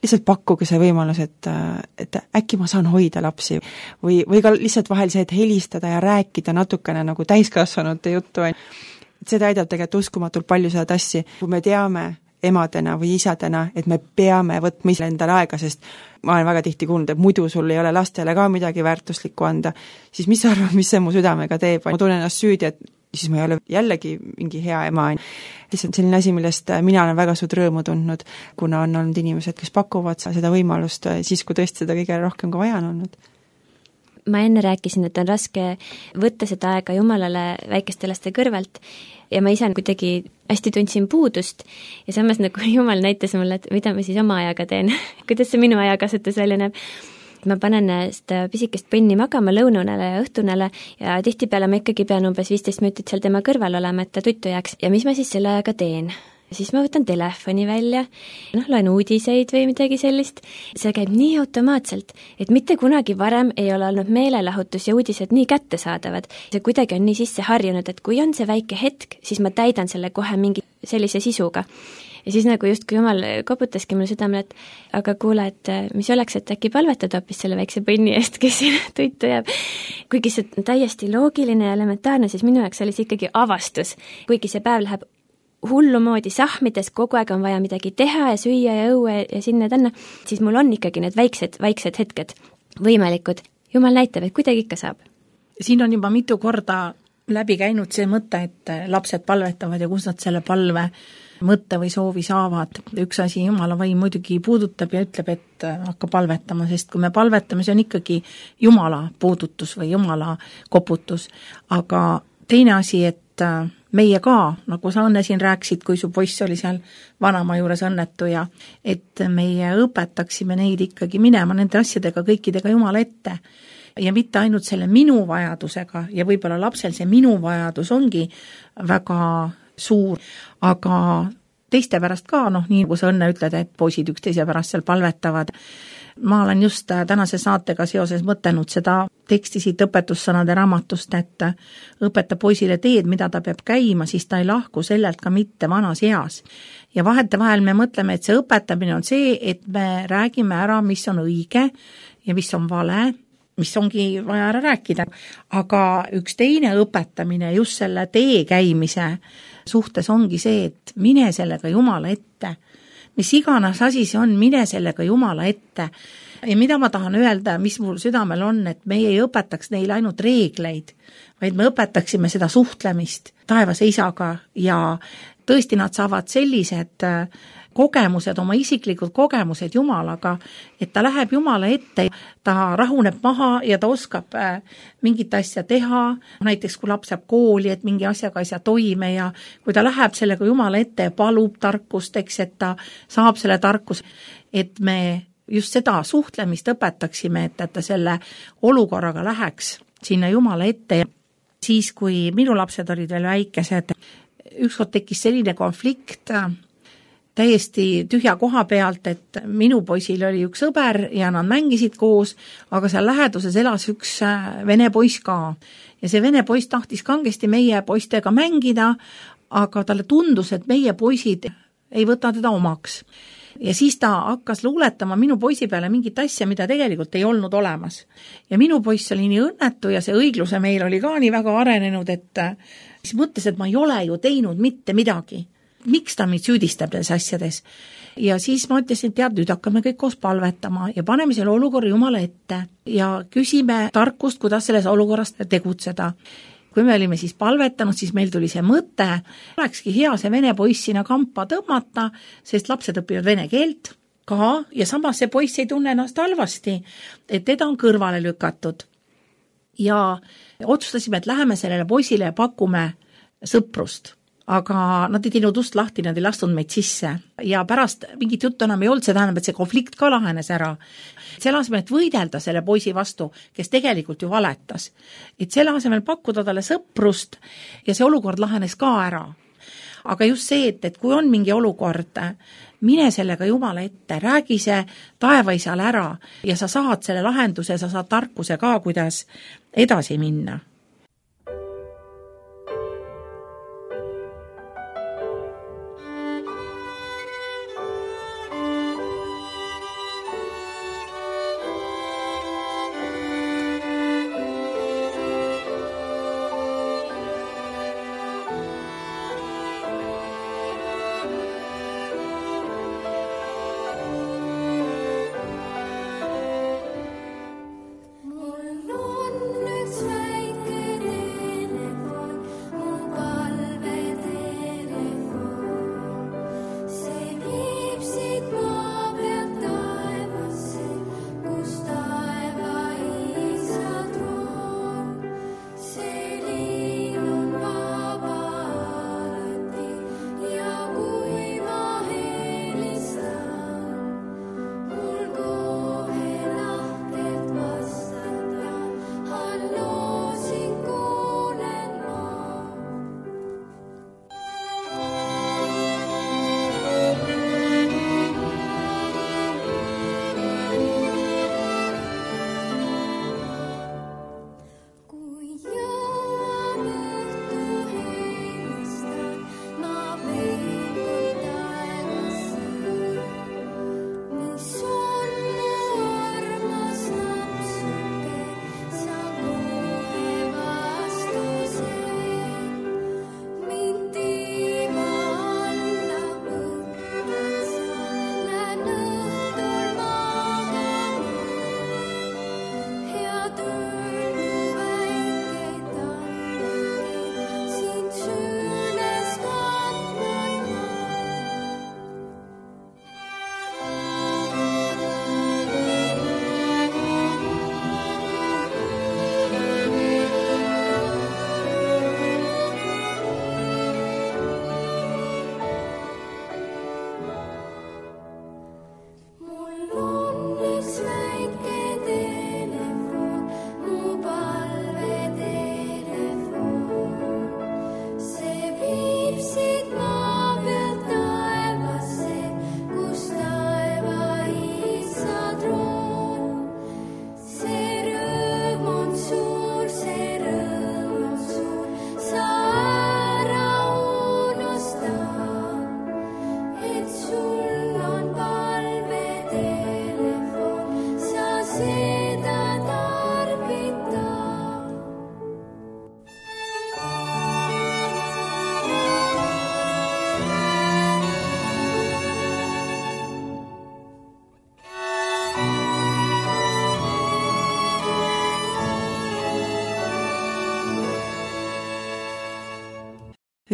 lihtsalt pakkuge see võimalus, et äkki ma saan hoida lapsi või ka lihtsalt vahel see, et helistada ja rääkida natukene nagu täiskasvanute juttu. Seda aidab tegelikult uskumatult palju seda tassi, kui me teame emadena või isadena, et me peame võtma ise endale aega, sest ma olen väga tihti kuulnud, et muidu sul ei ole lastele ka midagi väärtuslikku anda, siis mis sa arvad, mis see mu südamega teeb? Ma tunnen ennast süüdi, et siis ma ei ole jällegi mingi hea ema. Lihtsalt selline asi, millest mina olen väga suud rõõmu tundnud, kuna on olnud inimesed, kes pakuvad seda võimalust siis, kui tõesti seda kõige rohkem ka vaja on olnud. Ma enne rääkisin, et on raske võtta seda aega Jumalale väikeste laste kõrvalt ja ma ise kuidagi hästi tundsin puudust ja samas nagu Jumal näitas mulle, et mida ma siis oma ajaga teen, kuidas see minu ajakasutus välja näeb. Ma panen seda pisikest põnni magama lõununele ja õhtunele ja tihtipeale ma ikkagi pean umbes 15 minutit seal tema kõrval olema, et ta tuttu jääks. Ja mis ma siis selle ajaga teen? Siis ma võtan telefoni välja, loen uudiseid või midagi sellist. See käib nii automaatselt, et mitte kunagi varem ei ole olnud meelelahutus ja uudised nii kättesaadavad. See kuidagi on nii sisse harjunud, et kui on see väike hetk, siis ma täidan selle kohe mingi sellise sisuga. Ja siis nagu just kui Jumal koputaski mulle südamele, et aga kuule, et mis oleks, et äkki palvetad hoopis selle väikse põnni eest, kes siin tuitu jääb. Kuigi see on täiesti loogiline ja elementaarne, siis minu jaoks oli see ikkagi avastus. Kuigi see päev läheb hullumoodi sahmides, kogu aeg on vaja midagi teha ja süüa ja õue ja sinna tänna, siis mul on ikkagi need väiksed hetked võimalikud. Jumal näitab, et kuidagi ikka saab. Siin on juba mitu korda läbi käinud see mõte, et lapsed palvetavad ja kus nad selle palve mõtte või soovi saavad. Üks asi Jumala vaim muidugi puudutab ja ütleb, et hakka palvetama, sest kui me palvetame, see on ikkagi Jumala puudutus või Jumala koputus. Aga teine asi, et meie ka, nagu sa Õnne siin rääkisid, kui su poiss oli seal vanaema juures õnnetu ja et meie õpetaksime neid ikkagi minema nende asjadega kõikidega Jumala ette. Ja mitte ainult selle minu vajadusega ja võib-olla lapsel see minu vajadus ongi väga suur, aga teiste pärast ka, nii nagu sa Õnne ütled, et poisid üksteise pärast seal palvetavad. Ma olen just tänase saatega seoses mõtelnud seda teksti siit õpetussõnade raamatust, et õpeta poisile teed, mida ta peab käima, siis ta ei lahku sellelt ka mitte vanas eas. Ja vahetevahel me mõtleme, et see õpetamine on see, et me räägime ära, mis on õige ja mis on vale, mis ongi vaja ära rääkida. Aga üks teine õpetamine just selle tee käimise suhtes ongi see, et mine sellega Jumala ette. Mis iganes asi see on, mine sellega Jumala ette. Ja mida ma tahan öelda, mis mul südamel on, et meie ei õpetaks neile ainult reegleid, vaid me õpetaksime seda suhtlemist taevase isaga ja tõesti nad saavad sellised kogemused, oma isiklikud kogemused Jumalaga, et ta läheb Jumala ette, ta rahuneb maha ja ta oskab mingit asja teha, näiteks kui laps jääb kooli, et mingi asjaga ei saa toime ja kui ta läheb sellega Jumala ette ja palub tarkust, et ta saab selle tarkus, et me just seda suhtlemist õpetaksime, et ta selle olukorraga läheks sinna Jumala ette ja siis, kui minu lapsed olid veel väikesed, ükskord tekkis selline konflikt täiesti tühja koha pealt, et minu poisil oli üks sõber ja nad mängisid koos, aga seal läheduses elas üks vene poiss ka. Ja see vene poiss tahtis kangesti meie poistega mängida, aga talle tundus, et meie poisid ei võta teda omaks. Ja siis ta hakkas luuletama minu poisi peale mingit asja, mida tegelikult ei olnud olemas. Ja minu poiss oli nii õnnetu ja see õigluse meil oli ka nii väga arenenud, et siis mõtles, et ma ei ole ju teinud mitte midagi. Miks ta mind süüdistab nendes asjades? Ja siis ma ütlesin, et tead, nüüd hakkame kõik koos palvetama ja paneme selle olukorra Jumala ette ja küsime tarkust, kuidas selles olukorras tegutseda. Kui me olime siis palvetanud, siis meil tuli see mõte, olekski hea see vene poiss sinna kampa tõmmata, sest lapsed õpivad vene keelt ka ja samas see poiss ei tunne ennast halvasti, et teda on kõrvale lükatud. Ja otsustasime, et läheme sellele poisile ja pakume sõprust. Aga nad ei teinud ust lahti, nad ei lastud meid sisse ja pärast mingit juttu enam ei olnud, see tähendab, et see konflikt ka lahenes ära. Selle asemel, et võidelda selle poisi vastu, kes tegelikult ju valetas, et selle asemel pakkuda talle sõprust ja see olukord lahenes ka ära. Aga just see, et kui on mingi olukord, mine sellega Jumala ette, räägi see taevaisale ära ja sa saad selle lahenduse, sa saad tarkuse ka, kuidas edasi minna. Mul on üks väike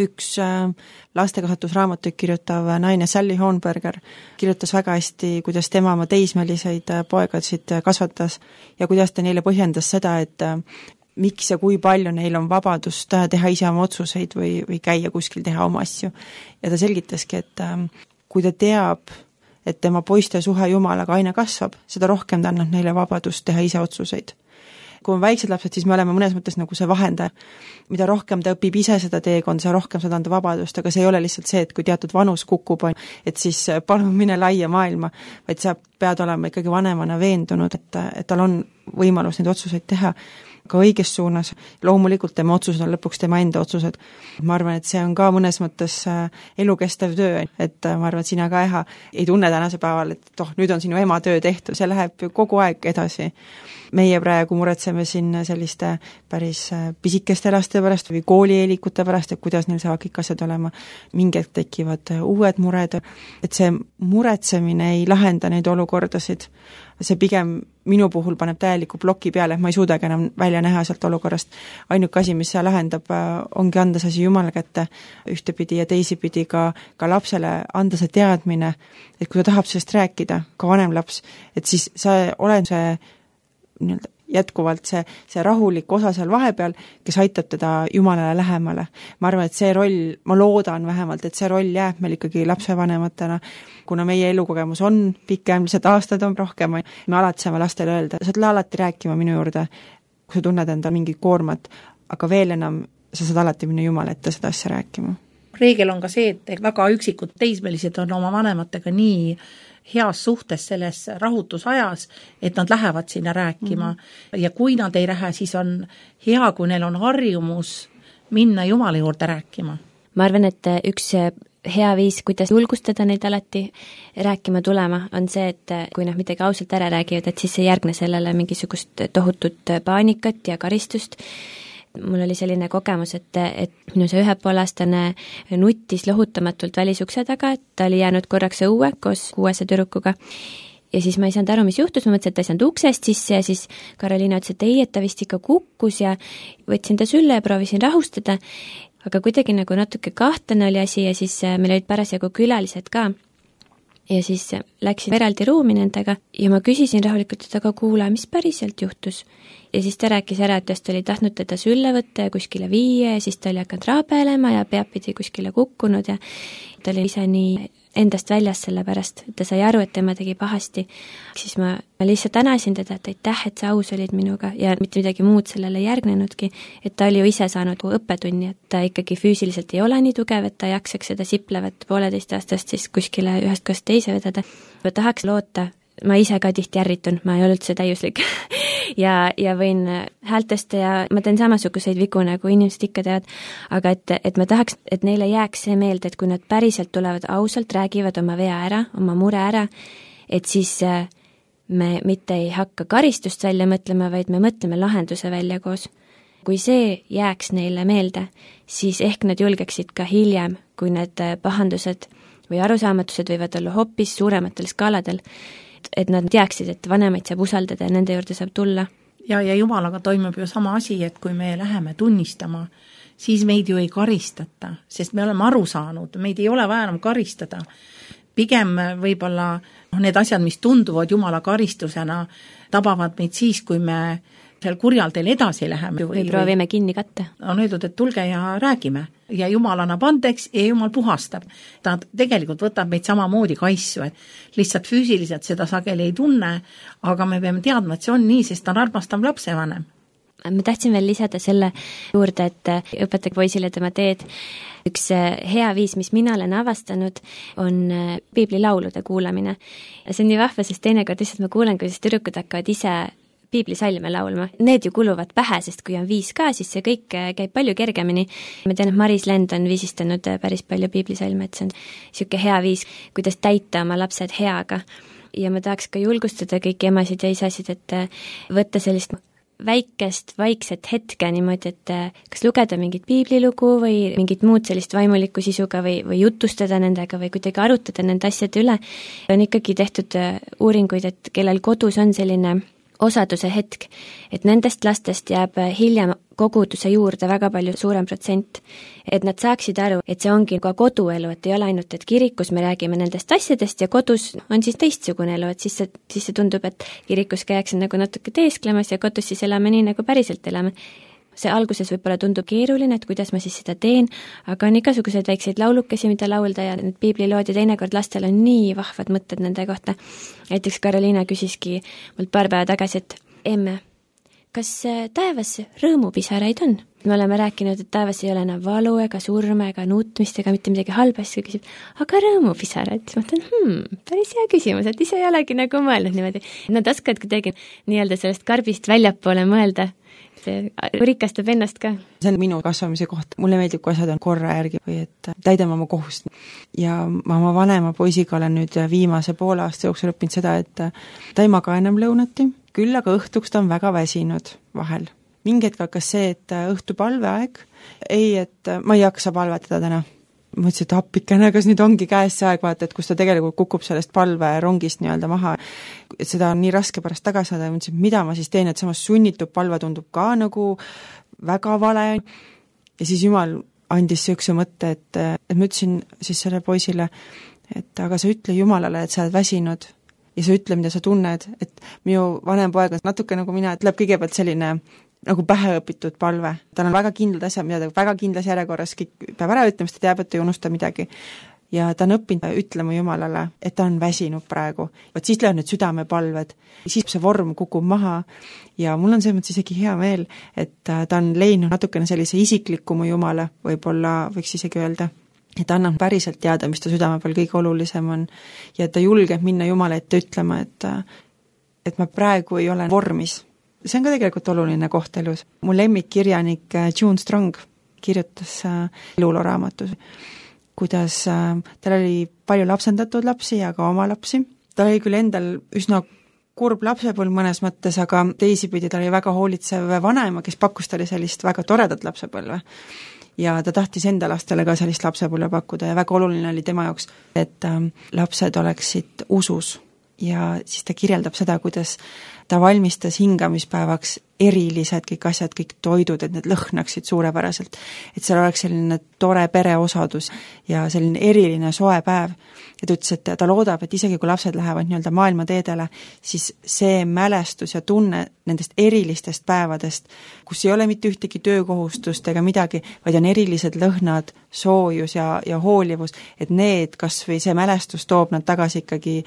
üks lastekasvatusraamatuid kirjutav naine Sally Hornberger kirjutas väga hästi, kuidas tema oma teismeliseid poegasid kasvatas ja kuidas ta neile põhjendas seda, et miks ja kui palju neil on vabadust teha ise oma otsuseid või käia kuskil teha oma asju. Ja ta selgitaski, et kui ta teab, et tema poiste suhe Jumalaga aina kasvab, seda rohkem ta annab neile vabadust teha ise otsuseid. Kui on väiksed lapsed, siis me oleme mõnes mõttes nagu see vahendaja. Mida rohkem ta õpib ise seda teekond, see rohkem seda anda vabadust, aga see ei ole lihtsalt see, et kui teatud vanus kukub, et siis palun mine laia maailma, vaid sa pead olema ikkagi vanemana veendunud, et tal on võimalus neid otsuseid teha ka õiges suunas. Loomulikult tema otsused on lõpuks tema enda otsused. Ma arvan, et see on ka mõnes mõttes elukestev töö, et ma arvan, et sina ka ei tunne tänase päeval, et nüüd on sinu ema töö tehtud, see läheb kogu aeg edasi. Meie praegu muretseme siin selliste päris pisikeste laste pärast või koolieelikute pärast, et kuidas neil saavad kõik asjad olema. Mingid tekivad uued mured, et see muretsemine ei lahenda neid olukordasid. See pigem minu puhul paneb täieliku ploki peale, et ma ei suudagi enam välja näha sealt olukorrast. Ainuke asi, mis see lahendab, ongi anda see asi Jumala kätte ühtepidi ja teisipidi ka lapsele anda see teadmine, et kui ta tahab sellest rääkida, ka vanem laps, et siis sa oled see jätkuvalt see rahulik osa seal vahepeal, kes aitab teda Jumalale lähemale. Ma arvan, et see roll, ma loodan vähemalt, et see roll jääb meil ikkagi lapsevanematena, kuna meie elukogemus on pikem, lihtsalt aastad on rohkem, me alati saame lastele öelda, sa tule alati rääkima minu juurde, kui sa tunned enda mingit koormat, aga veel enam sa saad alati minna Jumala ette seda asja rääkima. Reegel on ka see, et väga üksikud teismelised on oma vanematega nii heas suhtes selles rahutusajas, et nad lähevad sinna rääkima ja kui nad ei lähe, siis on hea, kui neil on harjumus minna Jumala juurde rääkima. Ma arvan, et üks hea viis, kuidas julgustada neid alati rääkima tulema, on see, et kui nad midagi ausalt ära räägivad, et siis ei järgne sellele mingisugust tohutut paanikat ja karistust. Mul oli selline kogemus, et minu see 1,5-aastane nuttis lohutamatult välisukse taga, et ta oli jäänud korraks õue koos 6 tüdrukuga. Ja siis ma ei saanud aru, mis juhtus, ma mõtlesin, et ta ei saanud uksest sisse ja siis Karoliina ütles, et ei, et ta vist ikka kukkus ja võtsin ta sülle ja proovisin rahustada, aga kuidagi nagu natuke kahtlane oli asi ja siis meil olid parasjagu külalised ka. Ja siis läksin eraldi ruumi nendega ja ma küsisin rahulikult, et aga kuule, mis päriselt juhtus? Ja siis ta rääkis ära, et ta oli tahtnud teda sülle võtta ja kuskile viia ja siis ta oli hakanud raabelema ja peab pidi kuskile kukkunud ja ta oli ise nii endast väljas selle pärast, et ta sai aru, et tema tegi pahasti. Siis ma lihtsalt tänasin teda, et aitäh, et sa aus olid minuga ja mitte midagi muud sellele järgnenudki, et ta oli ju ise saanud õppetunni, et ta ikkagi füüsiliselt ei ole nii tugev, et ta jaksaks seda siplevat 1,5-aastast siis kuskile ühest kohast teise vedada. Ma tahaks loota, ma ise ka tihti ärritun, ma ei ole üldse täiuslik ja võin häältesta ja ma teen samasuguseid vigu, nagu inimesed ikka teavad, aga et ma tahaks, et neile jääks see meelde, et kui nad päriselt tulevad ausalt, räägivad oma vea ära, oma mure ära, et siis me mitte ei hakka karistust välja mõtlema, vaid me mõtleme lahenduse välja koos. Kui see jääks neile meelde, siis ehk nad julgeksid ka hiljem, kui need pahandused või arusaamatused võivad olla hoopis suurematel skaaladel, et nad teaksid, et vanemaid saab usaldada ja nende juurde saab tulla. Ja Jumalaga toimub ju sama asi, et kui me läheme tunnistama, siis meid ju ei karistata, sest me oleme aru saanud, meid ei ole vaja enam karistada. Pigem võib-olla need asjad, mis tunduvad Jumala karistusena, tabavad meid siis, kui me seal kurjal teel edasi läheme. Või proovime kinni katta. On öeldud, et tulge ja räägime. Ja Jumal annab andeks ja Jumal puhastab. Ta tegelikult võtab meid samamoodi kaissu, et lihtsalt füüsiliselt seda sageli ei tunne, aga me peame teadma, et see on nii, sest ta on armastav lapsevanem. Ma tahtsin veel lisada selle juurde, et õpetage poisile tema teed. Üks hea viis, mis mina olen avastanud, on piiblilaulude kuulamine. See on nii vahva, sest teinekord lihtsalt ma kuulen, kuidas tüdrukud hakkavad ise piiblisalme laulma. Need ju kuluvad pähe, sest kui on 5 ka, siis see kõik käib palju kergemini. Ma tean, et Maris Lend on viisistanud päris palju piiblisalme, et see on siuke hea viis, kuidas täita oma lapsed heaga. Ja ma tahaks ka julgustada kõiki emasid ja isasid, et võtta sellist väikest, vaikset hetke niimoodi, et kas lugeda mingit piiblilugu või mingit muud sellist vaimulikku sisuga või jutustada nendega või kuidagi arutada nende asjade üle. On ikkagi tehtud uuringuid, et kellel kodus on selline osaduse hetk, et nendest lastest jääb hiljem koguduse juurde väga palju suurem protsent, et nad saaksid aru, et see ongi ka koduelu, et ei ole ainult, et kirikus me räägime nendest asjadest ja kodus on siis teistsugune elu, et siis see tundub, et kirikus käiakse nagu natuke teesklemas ja kodus siis elame nii, nagu päriselt elame. See alguses võib-olla tundub keeruline, et kuidas ma siis seda teen, aga on igasuguseid väikseid laulukesi, mida laulda ja need piiblilood ja teinekord lastel on nii vahvad mõtted nende kohta. Näiteks Karoliina küsiski mult paar päeva tagasi, et emme, kas taevas rõõmupisaraid on? Me oleme rääkinud, et taevas ei ole enam valu ega surme ega nuutmist ega mitte midagi halba, siis küsib, aga rõõmupisarad? Siis mõtlen, päris hea küsimus, et ise ei olegi nagu mõelnud niimoodi. Nad oskavad kuidagi nii-öelda sellest karbist väljapoole mõelda, see rikastab ennast ka. See on minu kasvamise koht. Mulle meeldib, kui asjad on korra järgi või et täidame oma kohust. Ja ma oma vanema poisiga olen nüüd viimase poole aasta jooksul õppinud seda, et ta ei maga enam lõunati, küll aga õhtuks ta on väga väsinud vahel. Mingi hetk hakkas see, et õhtu palveaeg, et ma ei jaksa palvetada täna. Ma mõtlesin, et appikene, kas nüüd ongi käes see aeg, vaata, et kus ta tegelikult kukub sellest palverongist nii-öelda maha, et seda on nii raske pärast tagasi saada ja mõtlesin, et mida ma siis teen, et samas sunnitud palve tundub ka nagu väga vale. Ja siis Jumal andis sellise mõtte, et ma ütlesin siis selle poisile, et aga sa ütle Jumalale, et sa oled väsinud ja sa ütle, mida sa tunned, et minu vanem poeg on natuke nagu mina, et läheb kõigepealt selline nagu päheõpitud palve. Tal on väga kindlad asjad, mida ta väga kindlas järjekorras kõik peab ära ütlema, sest ta teab, et ta ei unusta midagi. Ja ta on õppinud ütlema Jumalale, et ta on väsinud praegu. Vaat siis lähevad need südamepalved. Siis see vorm kukub maha ja mul on see mõttes isegi hea meel, et ta on leidnud natukene sellise isiklikumu Jumala, võib-olla võiks isegi öelda, et ta annab päriselt teada, mis ta südame peal kõige olulisem on ja ta julgeb minna Jumala ette ütlema, et ma praegu ei ole vormis. See on ka tegelikult oluline koht elus. Mu lemmikkirjanik June Strong kirjutas elulooraamatus, kuidas tal oli palju lapsendatud lapsi ja ka oma lapsi. Tal oli küll endal üsna kurb lapsepõlv mõnes mõttes, aga teisipidi ta oli väga hoolitsev vanema, kes pakkus talle sellist väga toredat lapsepõlve. Ja ta tahtis enda lastele ka sellist lapsepõlve pakkuda ja väga oluline oli tema jaoks, et lapsed oleksid usus. Ja siis ta kirjeldab seda, kuidas ta valmistas hingamispäevaks erilised kõik asjad, kõik toidud, et need lõhnaksid suurepäraselt. Et seal oleks selline tore pereosadus ja selline eriline soe päev. Ja ta ütles, et ta loodab, et isegi kui lapsed lähevad nii-öelda maailma teedele, siis see mälestus ja tunne nendest erilistest päevadest, kus ei ole mitte ühtegi töökohustust ega midagi, vaid on erilised lõhnad, soojus ja hoolivus, et need, kas või see mälestus toob nad tagasi ikkagi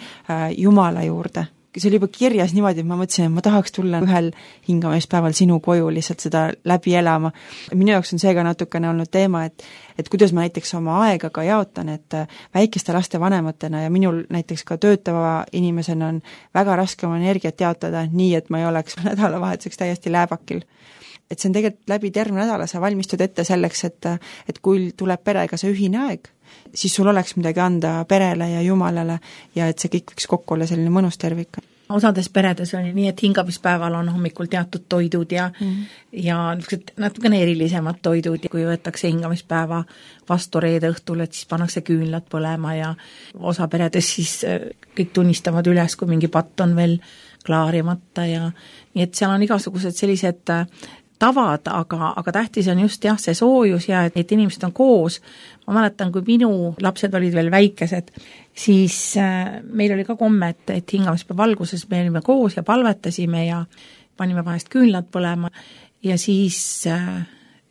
Jumala juurde. See oli juba kirjas niimoodi, et ma mõtlesin, et ma tahaks tulla ühel hingamispäeval sinu koju lihtsalt seda läbi elama. Minu jaoks on seega natukene olnud teema, et kuidas ma näiteks oma aega ka jaotan, et väikeste laste vanematena ja minul näiteks ka töötava inimesena on väga raske oma energiat jaotada nii, et ma ei oleks nädalavahetuseks täiesti lääbakil. Et see on tegelikult läbi terve nädala, sa valmistud ette selleks, et kui tuleb perega see ühine aeg, siis sul oleks midagi anda perele ja Jumalale ja et see kõik võiks kokku olla selline mõnus tervik. Osades peredes oli nii, et hingamispäeval on hommikul teatud toidud ja natukene erilisemad toidud, kui võetakse hingamispäeva vastu reede õhtul, et siis pannakse küünlad põlema ja osa peredes siis kõik tunnistavad üles, kui mingi patt on veel klaarimata ja nii, et seal on igasugused sellised tavad, aga tähtis on just jah, see soojus ja et inimesed on koos. Ma mäletan, kui minu lapsed olid veel väikesed, siis meil oli ka komme, et hingamispäeva alguses me olime koos ja palvetasime ja panime vahest küünlad põlema ja siis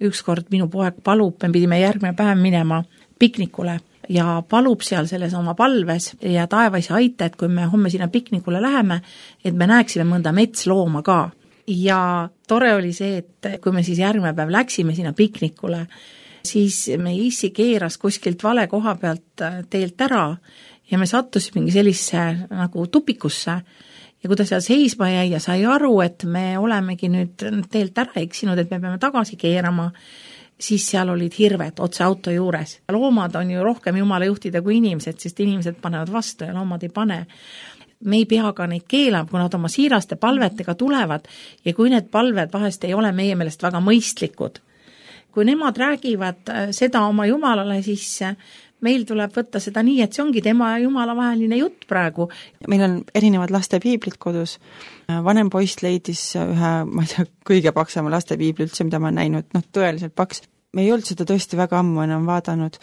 ükskord minu poeg palub, me pidime järgmine päev minema piknikule ja palub seal selles oma palves ja taevaisa aita, et kui me homme sinna piknikule läheme, et me näeksime mõnda metslooma ka. Ja tore oli see, et kui me siis järgmine päev läksime sinna piknikule, siis me issi keeras kuskilt vale koha pealt teelt ära ja me sattusime sellisse nagu tupikusse ja kui ta seal seisma jäi ja sai aru, et me olemegi nüüd teelt ära eksinud, et me peame tagasi keerama, siis seal olid hirved otse auto juures. Loomad on ju rohkem Jumala juhtida kui inimesed, sest inimesed panevad vastu ja loomad ei pane. Me ei pea ka neid keelama, kui nad oma siiraste palvetega tulevad ja kui need palved vahest ei ole meie meelest väga mõistlikud. Kui nemad räägivad seda oma Jumalale, siis meil tuleb võtta seda nii, et see ongi tema ja Jumala vaheline jutt praegu. Meil on erinevad laste piiblid kodus. Vanem poiss leidis ühe, ma ei tea, kõige paksema laste piibli üldse, mida ma olen näinud, tõeliselt paks. Me ei olnud seda tõesti väga ammu enam vaadanud,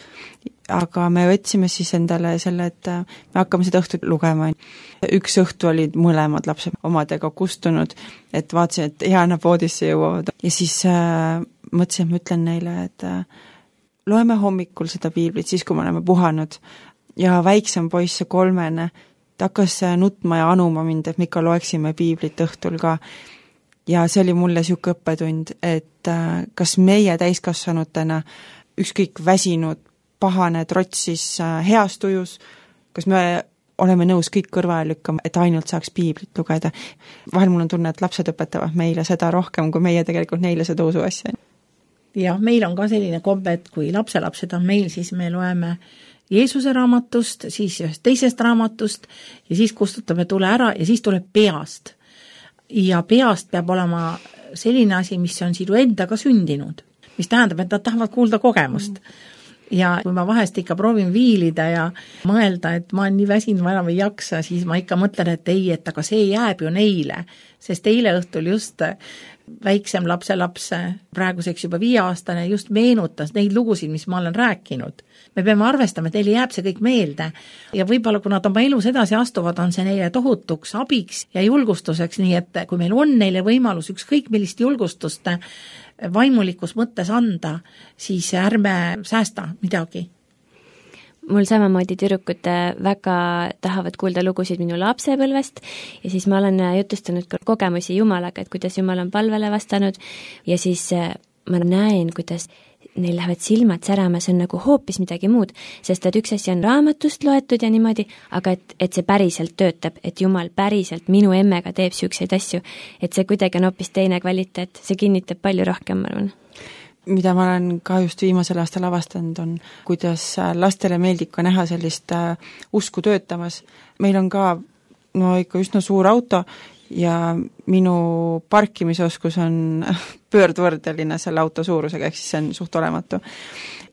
aga me võtsime siis endale selle, et me hakkame seda õhtut lugema. Üks õhtu olid mõlemad lapsed omadega kustunud, et vaatasin, et hea nad voodisse jõuavad. Ja siis mõtlesin, et ma ütlen neile, et loeme hommikul seda piiblit, siis kui me oleme puhanud. Ja väiksem poiss, 3, ta hakkas nutma ja anuma mind, et me ikka loeksime piiblit õhtul ka. Ja see oli mulle siuke õppetund, et kas meie täiskasvanutena ükskõik väsinud, pahane, trotsis, heas tujus, kas me oleme nõus kõik kõrvale lükkama, et ainult saaks piiblit lugeda. Vahel mul on tunne, et lapsed õpetavad meile seda rohkem, kui meie tegelikult neile seda usu asja. Ja meil on ka selline kombe, et kui lapselapsed on meil, siis me loeme Jeesuse raamatust, siis ühest teisest raamatust ja siis kustutame tule ära ja siis tuleb peast. Ja peast peab olema selline asi, mis on sinu endaga sündinud, mis tähendab, et nad tahavad kuulda kogemust. Ja kui ma vahest ikka proovin viilida ja mõelda, et ma olen nii väsinud, ma enam ei jaksa, siis ma ikka mõtlen, et ei, et aga see jääb ju neile, sest eile õhtul just väiksem lapselaps, praeguseks juba 5-aastane, just meenutas neid lugusid, mis ma olen rääkinud. Me peame arvestama, et neile jääb see kõik meelde ja võib-olla kui nad oma elus edasi astuvad, on see neile tohutuks abiks ja julgustuseks, nii et kui meil on neile võimalus ükskõik millist julgustust vaimulikus mõttes anda, siis ärme säästa midagi. Mul samamoodi tüdrukud väga tahavad kuulda lugusid minu lapsepõlvest ja siis ma olen jutustanud ka kogemusi Jumalaga, et kuidas Jumal on palvele vastanud ja siis ma näen, kuidas neil lähevad silmad särama, see on nagu hoopis midagi muud, sest et üks asi on raamatust loetud ja niimoodi, aga et see päriselt töötab, et Jumal päriselt minu emmega teeb siukseid asju, et see kuidagi on hoopis teine kvaliteet, see kinnitab palju rohkem, ma arvan. Mida ma olen ka just viimasel aastal avastanud on, kuidas lastele meeldib ka näha sellist usku töötamas. Meil on ka ikka üsna suur auto ja minu parkimisoskus on pöördvõrdeline selle auto suurusega, ehk siis see on suht olematu.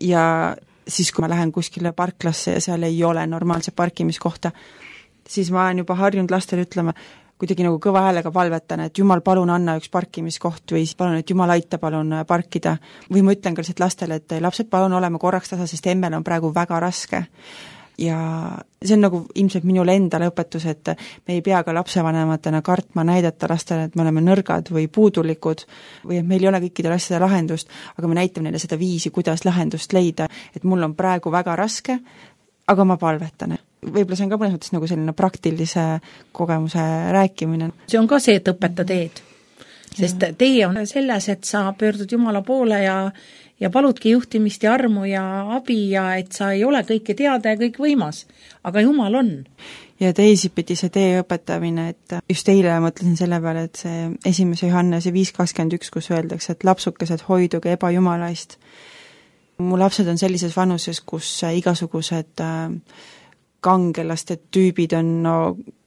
Ja siis, kui ma lähen kuskile parklasse ja seal ei ole normaalse parkimiskohta, siis ma olen juba harjunud lastele ütlema, kuidagi nagu kõva häälega palvetan, et Jumal, palun anna üks parkimiskoht või palun, et Jumal aita palun parkida. Või ma ütlen ka lihtsalt lastele, et lapsed, palun oleme korraks tasa, sest emmel on praegu väga raske. Ja see on nagu ilmselt minule endale õpetus, et me ei pea ka lapsevanematena kartma näidata lastele, et me oleme nõrgad või puudulikud või et meil ei ole kõikidel asjade lahendust, aga me näitame neile seda viisi, kuidas lahendust leida, et mul on praegu väga raske, aga ma palvetan. Võib-olla see on ka mõnes mõttes nagu selline praktilise kogemuse rääkimine. See on ka see, et õpeta teed, sest tee on selles, et sa pöördud Jumala poole ja paludki juhtimist ja armu ja abi ja et sa ei ole kõike teada ja kõik võimas, aga Jumal on. Ja teisipidi see tee õpetamine, et just eile mõtlesin selle peale, et see 1. Johannese 5.21, kus öeldakse, et lapsukesed hoiduge ebajumalaist. Mu lapsed on sellises vanuses, kus igasugused kangelaste tüübid on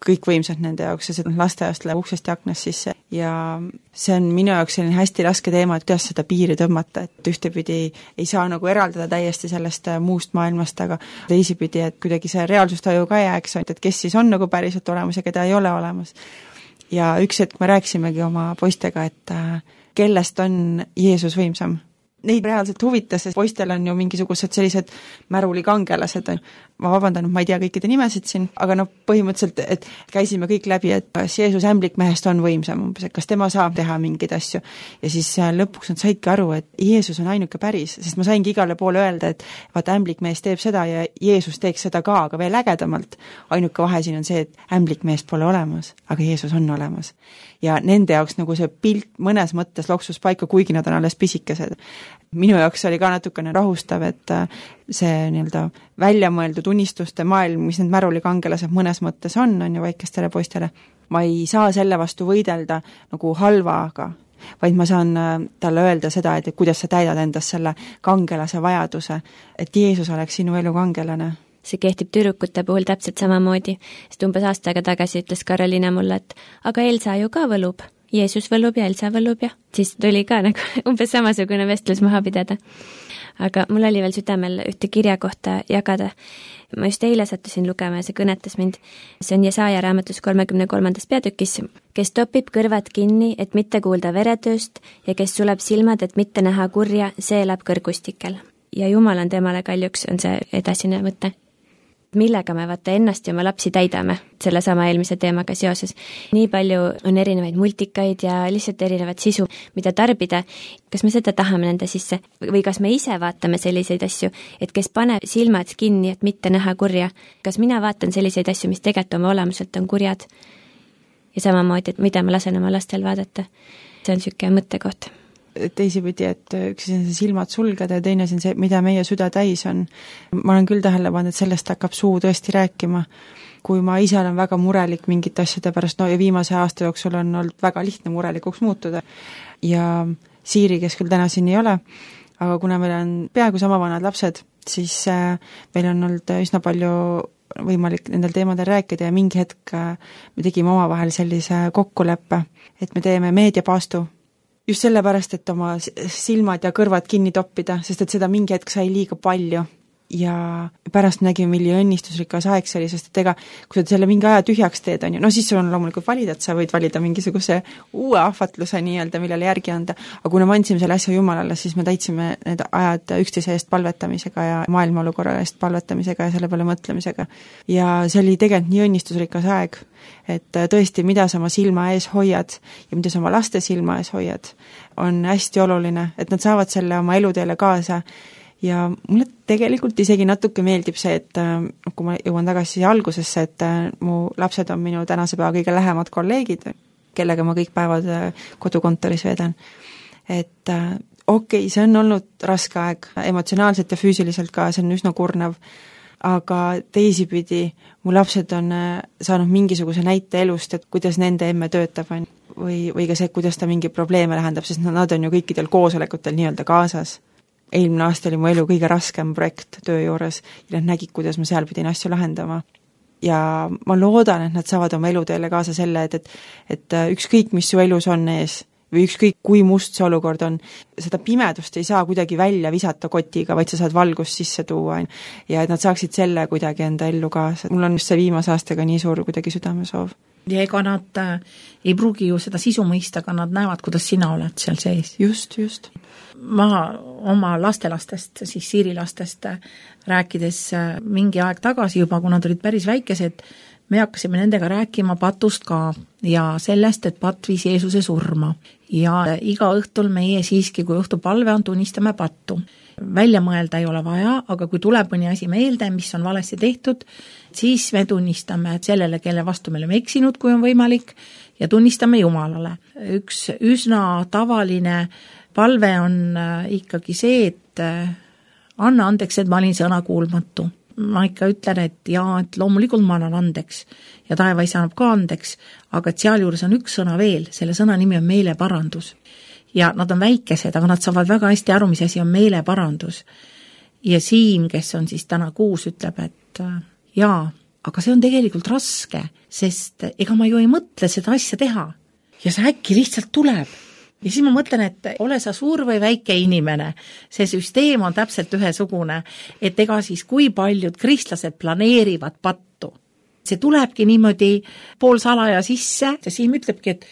kõikvõimsad nende jaoks ja see lasteaiast läheb uksest ja aknast sisse ja see on minu jaoks selline hästi raske teema, et kuidas seda piiri tõmmata, et ühtepidi ei saa nagu eraldada täiesti sellest muust maailmast, aga teisipidi, et kuidagi see reaalsustaju ka jääks, et kes siis on nagu päriselt olemas ja keda ei ole olemas. Ja üks hetk me rääkisimegi oma poistega, et kellest on Jeesus võimsam. Neid reaalselt huvitas, sest poistel on ju mingisugused sellised märulikangelased. Ma vabandan, ma ei tea kõikide nimesid siin, aga põhimõtteliselt, et käisime kõik läbi, et kas Jeesus ämblikmehest on võimsam, et kas tema saab teha mingeid asju. Ja siis lõpuks nad saidki aru, et Jeesus on ainuke päris, sest ma saingi igale poole öelda, et vaata, ämblikmees teeb seda ja Jeesus teeks seda ka, aga veel ägedamalt. Ainuke vahe siin on see, et ämblikmeest pole olemas, aga Jeesus on olemas. Ja nende jaoks nagu see pilt mõnes mõttes loksus paika, kuigi nad on alles pisikesed. Minu jaoks oli ka natukene rahustav, et see nii-öelda väljamõeldud unistuste maailm, mis need märulikangelased mõnes mõttes on ju väikestele poistele. Ma ei saa selle vastu võidelda nagu halvaga, vaid ma saan talle öelda seda, et kuidas sa täidad endas selle kangelase vajaduse, et Jeesus oleks sinu elu kangelane. See kehtib tüdrukute puhul täpselt samamoodi, sest umbes aasta aega tagasi ütles Karoliina mulle, et aga Elsa ju ka võlub. Jeesus võlub ja Elsa võlub ja siis tuli ka nagu umbes samasugune vestlus maha pidada. aga mul oli veel südamel ühte kirja kohta jagada. Ma just eile sattusin lugema ja see kõnetas mind. See on Jesaja raamatus 33. peatükis, kes topib kõrvad kinni, et mitte kuulda veretööst ja kes suleb silmad, et mitte näha kurja, see elab kõrgustikel. Ja Jumal on temale kaljuks, on see edasine mõte. Millega me vaata ennast ja oma lapsi täidame selle sama eelmise teemaga seoses. Nii palju on erinevaid multikaid ja lihtsalt erinevat sisu, mida tarbida. Kas me seda tahame nende sisse või kas me ise vaatame selliseid asju, et kes paneb silmad kinni, et mitte näha kurja? Kas mina vaatan selliseid asju, mis tegelikult oma olemuselt on kurjad? Ja samamoodi, et mida ma lasen oma lastel vaadata? See on niisugune mõttekoht. Teisipidi, et üks on see silmad sulgeda ja teine on see, mida meie süda täis on. Ma olen küll tähele pannud, et sellest hakkab suu tõesti rääkima. Kui ma ise olen väga murelik mingite asjade pärast, ja viimase aasta jooksul on olnud väga lihtne murelikuks muutuda. Ja Siiri, kes küll täna siin ei ole, aga kuna meil on peaaegu sama vanad lapsed, siis meil on olnud üsna palju võimalik nendel teemadel rääkida ja mingi hetk me tegime omavahel sellise kokkuleppe, et me teeme meediapaastu. Just sellepärast, et oma silmad ja kõrvad kinni toppida, sest et seda mingi hetk sai liiga palju. Ja pärast nägime, milli õnnistusrikas aeg see oli, sest et ega, kui sa selle mingi aja tühjaks teed, on ju, siis sul on loomulikult valida, et sa võid valida mingisuguse uue ahvatluse nii-öelda, millele järgi anda. Aga kui me andsime selle asja Jumalale, siis me täitsime need ajad üksteise eest palvetamisega ja maailma olukorra eest palvetamisega ja selle peale mõtlemisega. Ja see oli tegelikult nii õnnistusrikas aeg, et tõesti, mida sa oma silma ees hoiad ja mida sa oma laste silma ees hoiad, on hästi oluline, et nad saavad selle oma eluteele kaasa. Ja mulle tegelikult isegi natuke meeldib see, et kui ma jõuan tagasi algusesse, et mu lapsed on minu tänase päeva kõige lähemad kolleegid, kellega ma kõik päevad kodukontoris vedan. Et okei, see on olnud raske aeg, emotsionaalselt ja füüsiliselt ka, see on üsna kurnav, aga teisipidi mu lapsed on saanud mingisuguse näite elust, et kuidas nende emme töötab või ka see, kuidas ta mingi probleeme lahendab, sest nad on ju kõikidel koosolekutel nii-öelda kaasas. Eelmine aasta oli mu elu kõige raskem projekt töö juures ja nad nägid, kuidas ma seal pidin asju lahendama. Ja ma loodan, et nad saavad oma eluteele kaasa selle, et ükskõik, mis su elus on ees või ükskõik, kui must see olukord on, seda pimedust ei saa kuidagi välja visata kotiga, vaid sa saad valgust sisse tuua ja et nad saaksid selle kuidagi enda ellu kaasa. Mul on just see viimase aastaga nii suur kuidagi südamesoov. Ja ega nad ei pruugi ju seda sisu mõista, aga nad näevad, kuidas sina oled seal sees. Just. Ma oma lastelastest, siis Siiri lastest rääkides mingi aeg tagasi juba, kui nad olid päris väikesed, me hakkasime nendega rääkima patust ka ja sellest, et patt viis Jeesuse surma. Ja iga õhtul meie siiski, kui õhtu palve on, tunnistame pattu. Välja mõelda ei ole vaja, aga kui tuleb mõni asi meelde, mis on valesti tehtud, siis me tunnistame sellele, kelle vastu me oleme eksinud, kui on võimalik, ja tunnistame Jumalale. Üks üsna tavaline palve on ikkagi see, et anna andeks, et ma olin sõna kuulmatu. Ma ikka ütlen, et loomulikult ma annan andeks ja taevaisa annab ka andeks, aga et seal juures on üks sõna veel, selle sõna nimi on meeleparandus. Ja nad on väikesed, aga nad saavad väga hästi aru, mis asi on meeleparandus. Ja Siim, kes on siis täna 6, ütleb, et aga see on tegelikult raske, sest ega ma ju ei mõtle seda asja teha. Ja see äkki lihtsalt tuleb. Ja siis ma mõtlen, et ole sa suur või väike inimene, see süsteem on täpselt ühesugune, et ega siis kui paljud kristlased planeerivad pattu. See tulebki niimoodi poolsalaja sisse ja Siim ütlebki, et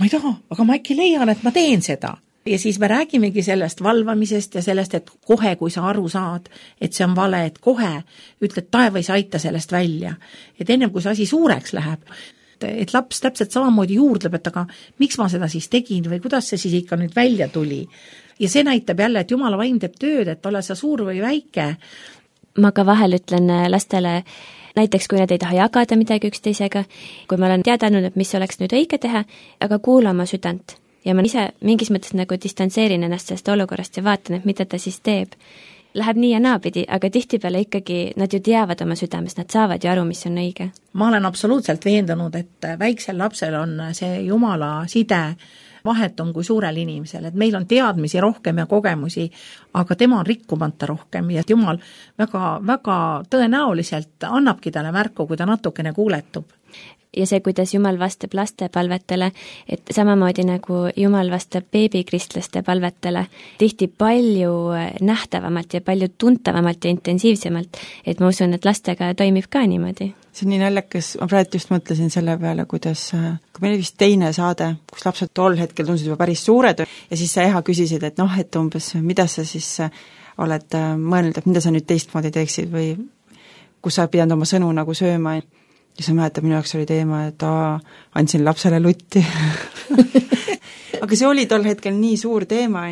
ma ei taha, aga ma äkki leian, et ma teen seda. Ja siis me räägimegi sellest valvamisest ja sellest, et kohe, kui sa aru saad, et see on vale, et kohe ütled, taevais aita sellest välja. Et ennem kui see asi suureks läheb, et laps täpselt samamoodi juurdleb, et aga miks ma seda siis tegin või kuidas see siis ikka nüüd välja tuli. Ja see näitab jälle, et Jumala vaim teeb tööd, et ole sa suur või väike. Ma ka vahel ütlen lastele, näiteks kui nad ei taha jagada midagi üksteisega, kui ma olen teadanud, et mis oleks nüüd õige teha, aga kuula oma südant. Ja ma ise mingis mõttes nagu distantseerin ennast sellest olukorrast ja vaatan, et mida ta siis teeb. Läheb nii ja naapidi, aga tihtipeale ikkagi nad ju teavad oma südames, nad saavad ju aru, mis on õige. Ma olen absoluutselt veendunud, et väiksel lapsel on see Jumala side vahetum kui suurel inimesel, et meil on teadmisi rohkem ja kogemusi, aga tema on rikkumata rohkem ja Jumal väga, väga tõenäoliselt annabki talle märku, kui ta natukene kuuletub. ja see, kuidas Jumal vastab laste palvetele, et samamoodi nagu Jumal vastab beebikristlaste palvetele, tihti palju nähtavamalt ja palju tuntavamalt ja intensiivsemalt, et ma usun, et lastega toimib ka niimoodi. See on nii naljakas, ma praegu just mõtlesin selle peale, kuidas, kui meil oli vist teine saade, kus lapsed tol hetkel tundsid juba päris suured ja siis sa Eha küsisid, et noh, et umbes, mida sa siis oled mõelnud, et mida sa nüüd teistmoodi teeksid või kus sa pidanud oma sõnu nagu sööma. Ja sa mäletad, minu jaoks oli teema, et andsin lapsele lutti. Aga see oli tol hetkel nii suur teema.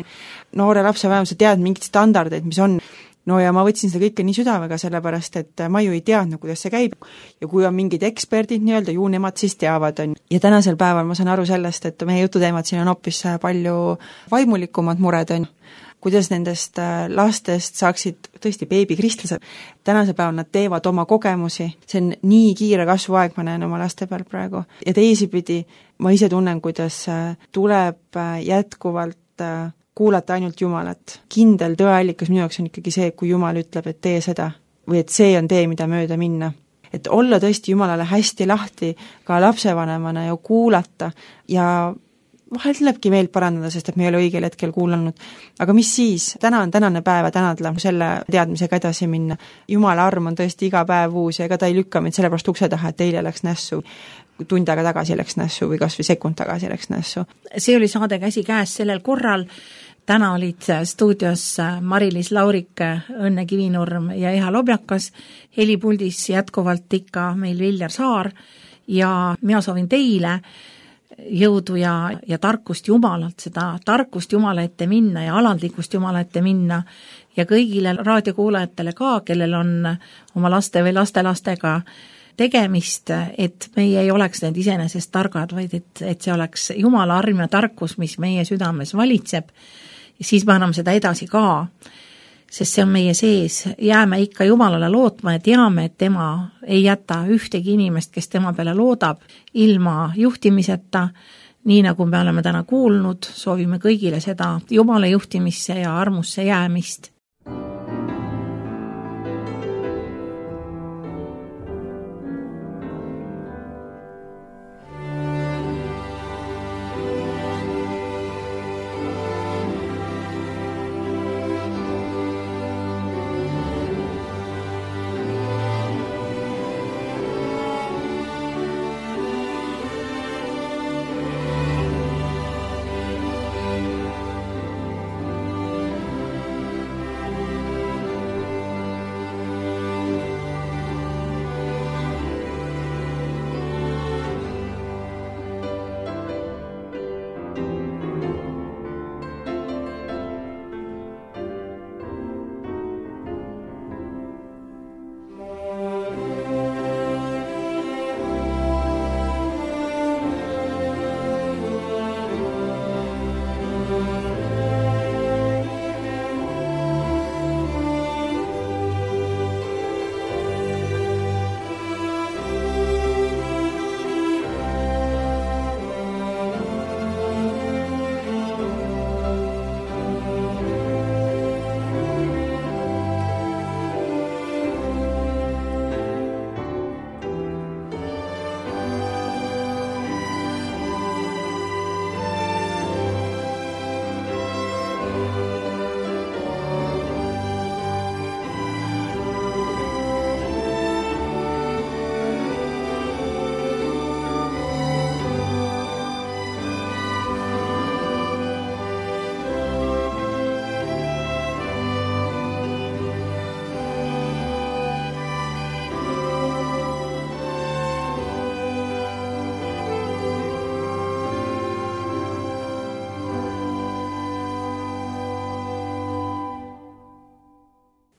Noore lapse vähem sa tead mingid standardeid, mis on. No ja ma võtsin seda kõike nii südamega, sellepärast, et ma ju ei teadnud, kuidas see käib. Ja kui on mingid eksperdid nii-öelda, ju nemad siis teavad. Ja tänasel päeval ma saan aru sellest, et meie jututeemad siin on hoopis palju vaimulikumad mured. Kuidas nendest lastest saaksid tõesti beebikristlased. Tänasel päeval nad teevad oma kogemusi. See on nii kiire kasvuaeg, ma näen oma laste peal praegu. Ja teisipidi ma ise tunnen, kuidas tuleb jätkuvalt kuulata ainult Jumalat. Kindel tõeallikas minu jaoks on ikkagi see, kui Jumal ütleb, et tee seda või et see on tee, mida mööda minna. Et olla tõesti Jumalale hästi lahti ka lapsevanemana ja kuulata ja vahel tulebki meelt parandada, sest et me ei ole õigel hetkel kuulanud. Aga mis siis? Täna on tänane päev ja tänadla selle teadmisega edasi minna. Jumala arm on tõesti iga päev uus ja ega ta ei lükka meid sellepärast ukse taha, et eile läks nässu, tund aega tagasi läks nässu või kas või sekund tagasi läks nässu. See oli saade Käsi käes sellel korral. Täna olid stuudios Mari-Liis Laurik, Õnne Kivinurm ja Eha Lobjakas. Helipuldis jätkuvalt ikka meil Viljar Saar ja mina soovin teile jõudu ja tarkust Jumalalt, seda tarkust Jumala ette minna ja alandlikkust Jumala ette minna ja kõigile raadiokuulajatele ka, kellel on oma laste või lastelastega tegemist, et meie ei oleks need iseenesest targad, vaid et see oleks Jumala arm ja tarkus, mis meie südames valitseb ja siis me anname seda edasi ka, sest see on meie sees. Jääme ikka Jumalale lootma ja teame, et tema ei jäta ühtegi inimest, kes tema peale loodab, ilma juhtimiseta, nii nagu me oleme täna kuulnud, soovime kõigile seda Jumala juhtimisse ja armusse jäämist.